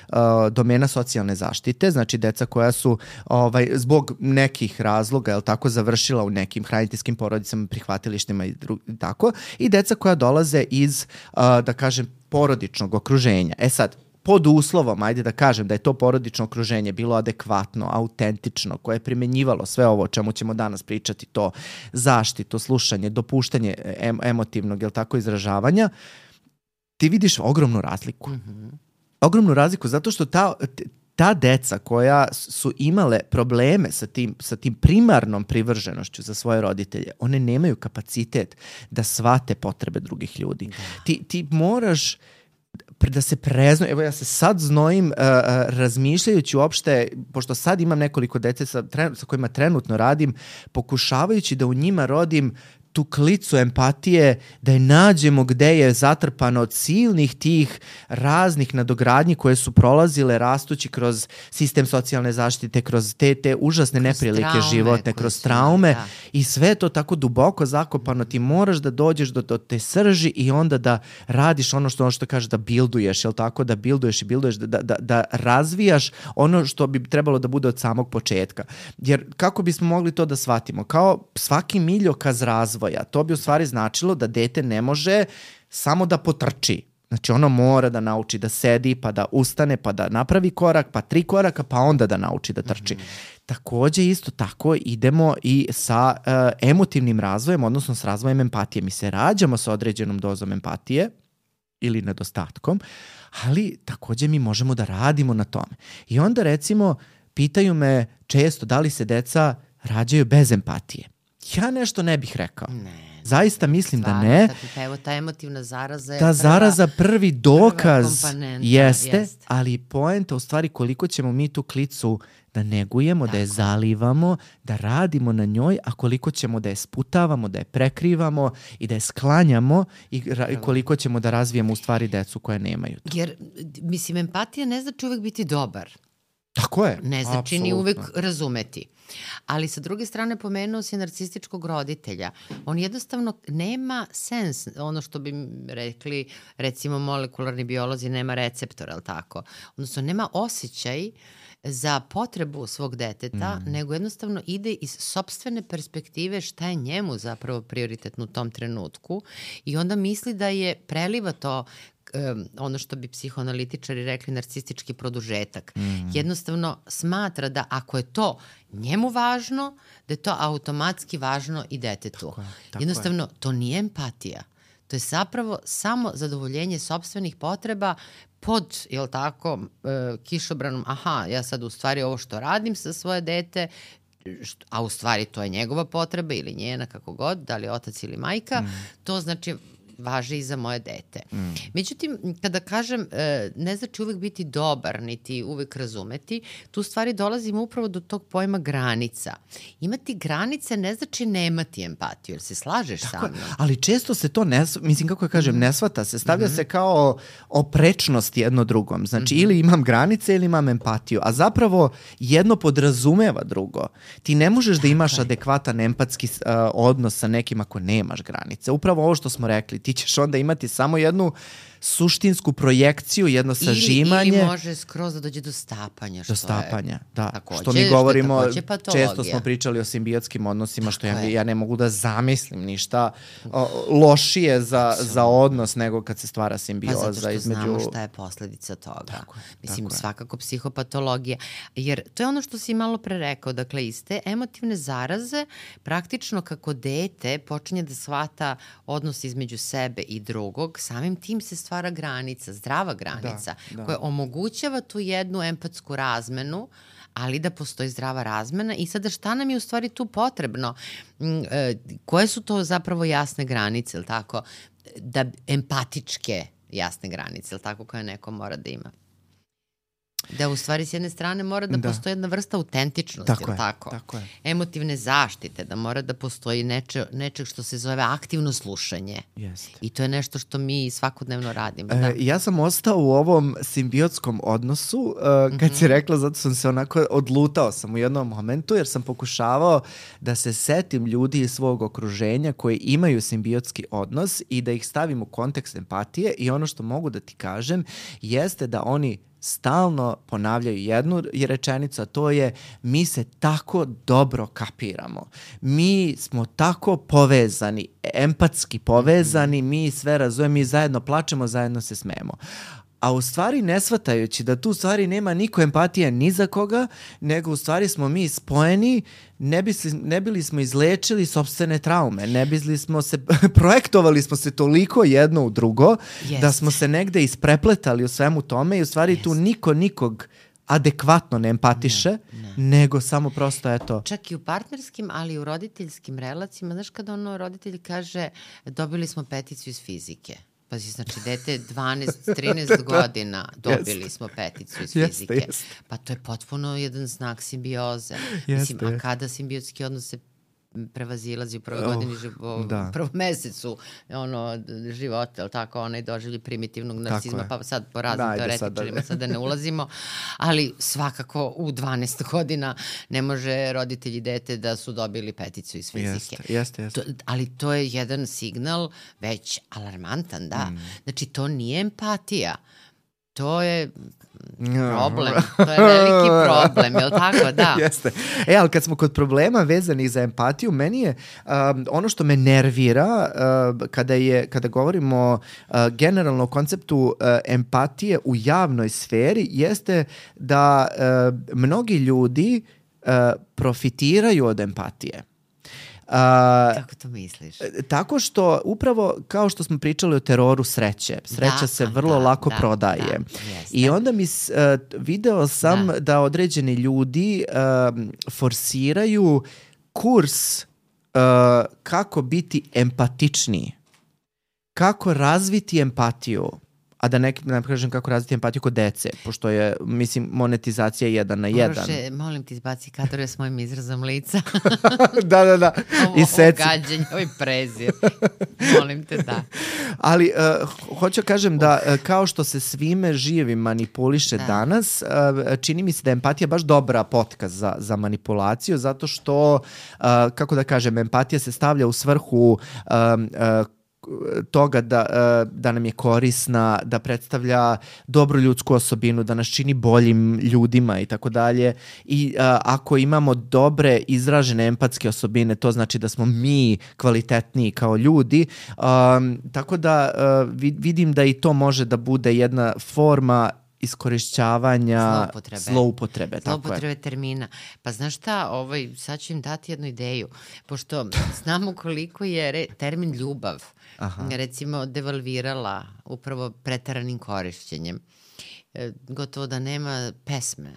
uh, domena socijalne zaštite, znači deca koja su ovaj, zbog nekih razloga, jel tako, završila u nekim hraniteljskim porodicama, prihvatilištima i dru- tako, i deca koja dolaze iz, uh, da kažem, porodičnog okruženja. E sad, pod uslovom, ajde da kažem da je to porodično okruženje bilo adekvatno, autentično, koje je primenjivalo sve ovo o čemu ćemo danas pričati, to zaštitu, slušanje, dopuštanje em- emotivnog, jel tako, izražavanja, ti vidiš ogromnu razliku. Mm-hmm. Ogromnu razliku zato što ta, ta deca koja su imale probleme sa tim, sa tim primarnom privrženošću za svoje roditelje, one nemaju kapacitet da shvate potrebe drugih ljudi. Da. Ti, ti moraš da se prezno, evo ja se sad znojim uh, uh, razmišljajući uopšte, pošto sad imam nekoliko dece sa, tren, sa kojima trenutno radim, pokušavajući da u njima rodim tu klicu empatije, da je nađemo gde je zatrpano od silnih tih raznih nadogradnji koje su prolazile rastući kroz sistem socijalne zaštite, kroz te, te užasne kroz neprilike traume, životne, kroz traume da. I sve to tako duboko zakopano, ti moraš da dođeš do, do te srži i onda da radiš ono što, ono što kaže da bilduješ, jel tako, da bilduješ i bilduješ, da, da, da razvijaš ono što bi trebalo da bude od samog početka. Jer kako bismo mogli to da shvatimo? Kao svaki miljokaz razvoja, to bi u stvari značilo da dete ne može samo da potrči. Znači ono mora da nauči da sedi, pa da ustane, pa da napravi korak, pa tri koraka, pa onda da nauči da trči. Mm-hmm. Takođe isto tako idemo i sa uh, emotivnim razvojem, odnosno s razvojem empatije. Mi se rađamo sa određenom dozom empatije ili nedostatkom, ali takođe mi možemo da radimo na tome. I onda recimo pitaju me često da li se deca rađaju bez empatije. Ja nešto ne bih rekao. Ne. Zaista mislim Stvarno, da ne. Ta, evo, ta emotivna zaraza je ta prva, zaraza prvi dokaz jeste, jest. Ali poenta u stvari koliko ćemo mi tu klicu da negujemo, Tako. da je zalivamo, da radimo na njoj, a koliko ćemo da je sputavamo, da je prekrivamo i da je sklanjamo i ra- koliko ćemo da razvijemo u stvari decu koje nemaju to. Jer, mislim, empatija ne znači uvek biti dobar. Tako je. Ne znači ni uvek razumeti. Ali sa druge strane pomenuo si narcističkog roditelja. On jednostavno nema sens, ono što bi rekli recimo molekularni biolozi, nema receptora, ali tako? Odnosno nema osjećaj za potrebu svog deteta, mm. nego jednostavno ide iz sopstvene perspektive šta je njemu zapravo prioritetno u tom trenutku i onda misli da je preliva to Um, ono što bi psihoanalitičari rekli narcistički produžetak. Mm. Jednostavno smatra da ako je to njemu važno, da je to automatski važno i detetu. Tako je, tako Jednostavno, je. To nije empatija. To je zapravo samo zadovoljenje sopstvenih potreba pod, jel tako, uh, kišobranom, aha, ja sad u stvari ovo što radim sa svoje dete, a u stvari to je njegova potreba ili njena, kako god, da li otac ili majka, mm. to znači važi i za moje dete. Mm. Međutim, kada kažem ne znači uvek biti dobar, niti uvek razumeti, tu stvari dolazimo upravo do tog pojma granica. Imati granice ne znači nemati empatiju, jer se slažeš Tako, sa mnom. Ali često se to, ne, mislim kako ja kažem, ne shvata se, stavlja mm-hmm. se kao oprečnost jedno drugom. Znači mm-hmm. ili imam granice ili imam empatiju, a zapravo jedno podrazumeva drugo. Ti ne možeš da imaš Tako adekvatan empatski uh, odnos sa nekim ako nemaš granice. Upravo ovo što smo rekli, ti ćeš onda imati samo jednu suštinsku projekciju, jedno sažimanje. Ili, ili može skroz da dođe do stapanja. Što do stapanja, je, da. Takođe, što mi govorimo, što često smo pričali o simbiotskim odnosima, što ja, ja ne mogu da zamislim ništa o, lošije za, za odnos nego kad se stvara simbioza. Pa zato što između... znamo šta je posledica toga. Tako je, Mislim, tako svakako psihopatologija. Jer to je ono što si malo pre rekao. Dakle, iz te emotivne zaraze, praktično kako dete počinje da shvata odnos između sebe i drugog, samim tim se stvara granica, zdrava granica, da, da. koja omogućava tu jednu empatsku razmenu, ali da postoji zdrava razmena. I sada šta nam je u stvari tu potrebno? E, koje su to zapravo jasne granice, ili tako? Da empatičke jasne granice, ili tako, koje neko mora da ima? Da u stvari s jedne strane mora da, da. postoji jedna vrsta autentičnosti, tako, je, tako? tako je. Emotivne zaštite, da mora da postoji neče, nečeg što se zove aktivno slušanje. Jeste. I to je nešto što mi svakodnevno radimo. E, da. Ja sam ostao u ovom simbiotskom odnosu uh, kad mm-hmm. si rekla, zato sam se onako odlutao sam u jednom momentu, jer sam pokušavao da se setim ljudi iz svog okruženja koji imaju simbiotski odnos i da ih stavim u kontekst empatije, i ono što mogu da ti kažem jeste da oni stalno ponavljaju jednu rečenicu, a to je: mi se tako dobro kapiramo. Mi smo tako povezani, empatski povezani, mi sve razumemo, mi zajedno plačemo, zajedno se smemo. a u stvari ne shvatajući da tu u stvari nema niko empatije ni za koga, nego u stvari smo mi spojeni, ne, bi, ne bili smo izlečili sopstvene traume, ne bili smo se, projektovali smo se toliko jedno u drugo, Jest. da smo se negde isprepletali u svemu tome i u stvari Jest. tu niko nikog adekvatno ne empatiše, ne, ne. nego samo prosto eto... Čak i u partnerskim, ali i u roditeljskim relacijama, znaš kada ono roditelj kaže dobili smo peticu iz fizike. Pazi, znači, dete dvanaest trinaest godina dobili yes. smo peticu iz fizike. Yes, yes. Pa to je potpuno jedan znak simbioze. Yes, Mislim, yes. a kada simbiotski odnos se prevazilazi u prvoj oh, godini, u prvom mesecu ono, života, ali tako, onaj doživlji primitivnog narcizma, pa sad po raznim da, teoretičarima sad da ne ulazimo, ali svakako u dvanaest godina ne može roditelji i dete da su dobili peticu iz fizike. Jeste, jeste, jeste. To, ali to je jedan signal već alarmantan, da. Mm. Znači, to nije empatija. To je problem, to je veliki problem, je li tako? Da. Jeste. E, ali kad smo kod problema vezanih za empatiju, meni je um, ono što me nervira uh, kada, je, kada govorimo uh, generalno o konceptu uh, empatije u javnoj sferi jeste da uh, mnogi ljudi uh, profitiraju od empatije. Uh, Kako to misliš? Tako što upravo kao što smo pričali o teroru sreće, sreća da, se vrlo da, lako da, prodaje. Da, I onda mi uh, video sam da. da određeni ljudi uh, forsiraju kurs uh, kako biti empatičniji. Kako razviti empatiju. A da ne, ne kažem kako razviti empatiju kod dece, pošto je, mislim, monetizacija jedan na jedan. Bože, molim ti izbaci kadrove s mojim izrazom lica. da, da, da. Ovo, I ovo gađenje, ovaj prezir. Molim te, da. Ali, uh, hoću kažem da uh, kao što se svime živim manipuliše da. danas, uh, čini mi se da je empatija baš dobra potka za, za manipulaciju, zato što, uh, kako da kažem, empatija se stavlja u svrhu um, uh, toga da, da nam je korisna, da predstavlja dobru ljudsku osobinu, da nas čini boljim ljudima i tako dalje. I a, ako imamo dobre izražene empatske osobine, to znači da smo mi kvalitetniji kao ljudi. A, tako da a, vidim da i to može da bude jedna forma iskorišćavanja zloupotrebe, zloupotrebe, zloupotrebe termina. Pa znaš šta, ovaj, sad ću im dati jednu ideju, pošto znamo koliko je re, termin ljubav Aha. recimo devalvirala upravo preteranim korišćenjem. E, gotovo da nema pesme,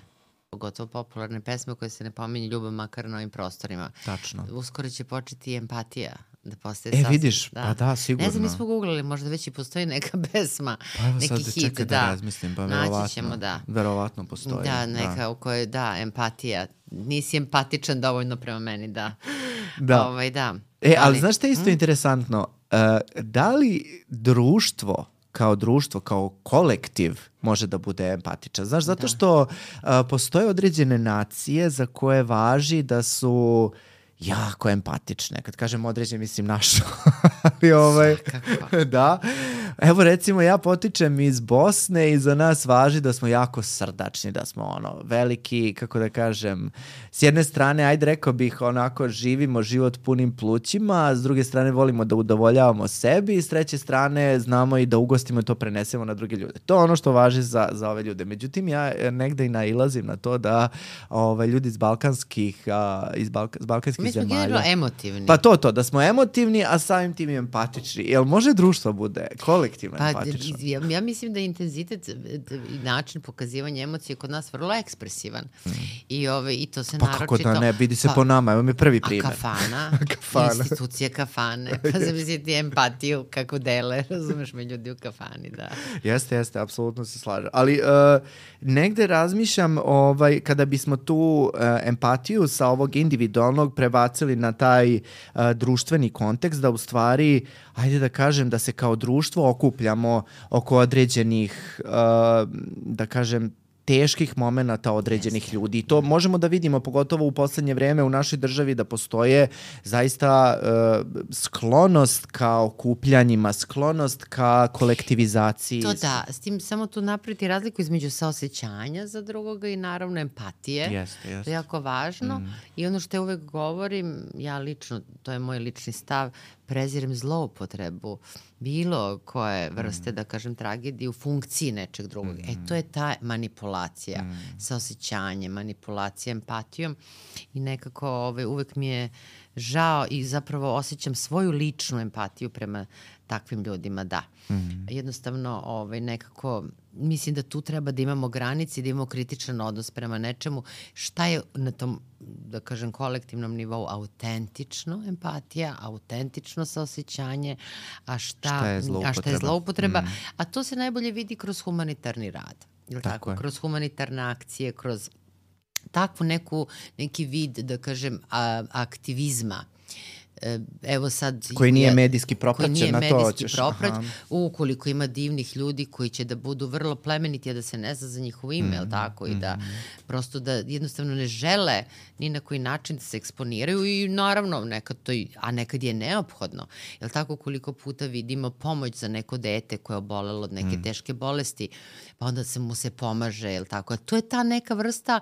pogotovo popularne pesme koje se ne pominje ljubav makar na ovim prostorima. Tačno. Uskoro će početi empatija da postaje e, sasvim. vidiš, da. pa da, sigurno. Ne znam, mi smo googlali, možda već i postoji neka pesma, pa evo neki sad hit, čekaj da, da razmislim, pa verovatno, ćemo, da. verovatno postoji. Da, neka da. u kojoj, da, empatija. Nisi empatičan dovoljno prema meni, da. Da. Ovaj, da. E, ali, ali znaš što je isto mm? interesantno? Uh, da li društvo kao društvo, kao kolektiv može da bude empatičan? Znaš, zato što uh, postoje određene nacije za koje važi da su jako empatične. Kad kažem određen, mislim našu. Ali ovaj, da. Evo recimo ja potičem iz Bosne i za nas važi da smo jako srdačni, da smo ono veliki, kako da kažem, s jedne strane, ajde rekao bih, onako živimo život punim plućima, a s druge strane volimo da udovoljavamo sebi i s treće strane znamo i da ugostimo i to prenesemo na druge ljude. To je ono što važi za, za ove ljude. Međutim, ja negde i nailazim na to da ovaj, ljudi iz balkanskih, a, iz balka, iz balkanskih Mi smo generalno emotivni. Pa to, to, da smo emotivni, a samim tim i empatični. Jel može društvo bude kolektivno pa, empatično? Ja, ja mislim da je intenzitet i način pokazivanja emocije kod nas vrlo ekspresivan. Mm. I, ove, I to se pa naročito... Pa kako da ne, vidi se pa, po nama, evo mi prvi primjer. A kafana, kafana. institucije kafane, pa zamisliti empatiju kako dele, razumeš me ljudi u kafani, da. Jeste, jeste, apsolutno se slažem. Ali uh, negde razmišljam, ovaj, kada bismo tu uh, empatiju sa ovog individualnog prebacili na taj uh, društveni kontekst, da u stvari, ajde da kažem, da se kao društvo okupljamo oko određenih, uh, da kažem, teških momenata određenih yes. ljudi. I to možemo da vidimo, pogotovo u poslednje vreme u našoj državi, da postoje zaista uh, sklonost ka okupljanjima, sklonost ka kolektivizaciji. To da, s tim samo tu napraviti razliku između saosećanja za drugoga i naravno empatije. Jeste, jeste. To je jako važno. Mm. I ono što ja uvek govorim, ja lično, to je moj lični stav, prezirem zloupotrebu bilo koje vrste, mm. da kažem, tragedije u funkciji nečeg drugog. Mm. E, to je ta manipulacija mm. sa osjećanjem, manipulacija empatijom i nekako ovaj, uvek mi je žao i zapravo osjećam svoju ličnu empatiju prema takvim ljudima, da. Mm. Jednostavno, ovaj, nekako, mislim da tu treba da imamo granice i da imamo kritičan odnos prema nečemu. Šta je na tom, da kažem, kolektivnom nivou autentično empatija, autentično saosećanje, a šta, šta je zloupotreba. A šta je zloupotreba. Mm. A to se najbolje vidi kroz humanitarni rad. Tako, tako? Kroz humanitarne akcije, kroz takvu neku, neki vid, da kažem, a, aktivizma. Evo sad... Koji nije medijski propraćen, koji nije na to medijski ćeš. Proprać, ukoliko ima divnih ljudi koji će da budu vrlo plemeniti, a da se ne zna za njihovo ime, mm, tako, mm. i da prosto da jednostavno ne žele ni na koji način da se eksponiraju i naravno nekad to, a nekad je neophodno. Jel tako, koliko puta vidimo pomoć za neko dete koje je obolelo od neke mm. teške bolesti, pa onda se mu se pomaže, jel tako. A to je ta neka vrsta,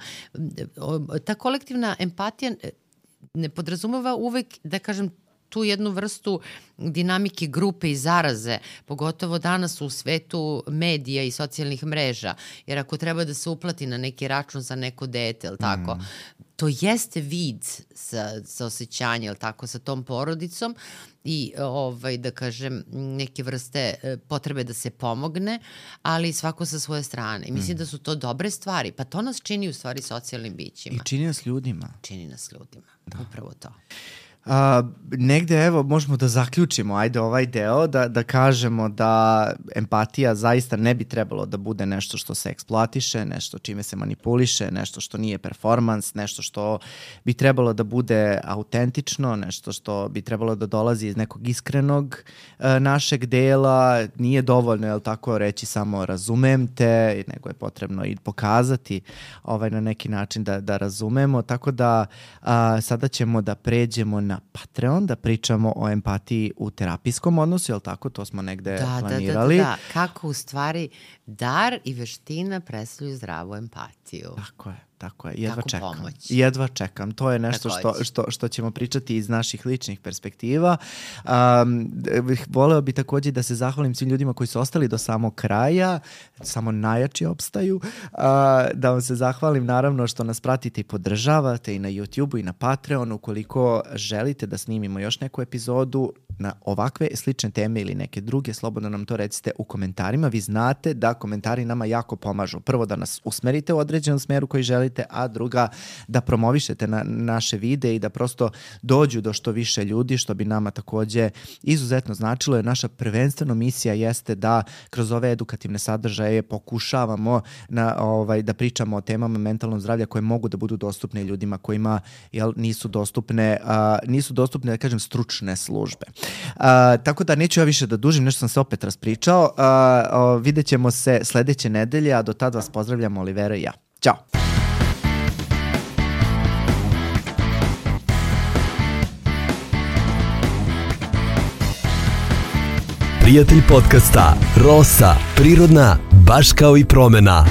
ta kolektivna empatija ne podrazumeva uvek, da kažem, tu jednu vrstu dinamike grupe i zaraze, pogotovo danas u svetu medija i socijalnih mreža, jer ako treba da se uplati na neki račun za neko dete, ili tako, mm. to jeste vid sa, sa osjećanja, ili tako, sa tom porodicom i, ovaj, da kažem, neke vrste potrebe da se pomogne, ali svako sa svoje strane. I mislim mm. da su to dobre stvari, pa to nas čini u stvari socijalnim bićima. I čini nas ljudima. Čini nas ljudima, da. Upravo to. Uh, negde, evo, možemo da zaključimo, ajde, ovaj deo, da, da kažemo da empatija zaista ne bi trebalo da bude nešto što se eksploatiše, nešto čime se manipuliše, nešto što nije performans, nešto što bi trebalo da bude autentično, nešto što bi trebalo da dolazi iz nekog iskrenog uh, našeg dela. Nije dovoljno, jel tako, reći samo razumem te, nego je potrebno i pokazati ovaj, na neki način da, da razumemo, tako da uh, sada ćemo da pređemo na na Patreon, da pričamo o empatiji u terapijskom odnosu, jel tako? To smo negde da, planirali. Da, da, da, da. Kako u stvari dar i veština predstavljaju zdravu empatiju. Tako je. Tako je, jedva Kako čekam. Pomoć. Jedva čekam. To je nešto što, što, što ćemo pričati iz naših ličnih perspektiva. Um, voleo bi također da se zahvalim svim ljudima koji su ostali do samog kraja, samo najjači opstaju. Uh, da vam se zahvalim naravno što nas pratite i podržavate i na YouTubeu i na Patreonu. Ukoliko želite da snimimo još neku epizodu na ovakve slične teme ili neke druge, slobodno nam to recite u komentarima. Vi znate da komentari nama jako pomažu. Prvo da nas usmerite u određenom smeru koji želite, a druga da promovišete na naše videe i da prosto dođu do što više ljudi, što bi nama takođe izuzetno značilo, jer naša prvenstveno misija jeste da kroz ove edukativne sadržaje pokušavamo na, ovaj, da pričamo o temama mentalnog zdravlja koje mogu da budu dostupne ljudima kojima jel, nisu dostupne, a, nisu dostupne, da kažem, stručne službe. A, tako da neću ja više da dužim, nešto sam se opet raspričao. A, a, vidjet ćemo se sledeće nedelje, a do tad vas pozdravljamo Olivera i ja. Ćao! Prijatelj podcasta Rosa, prirodna, baš kao i promena.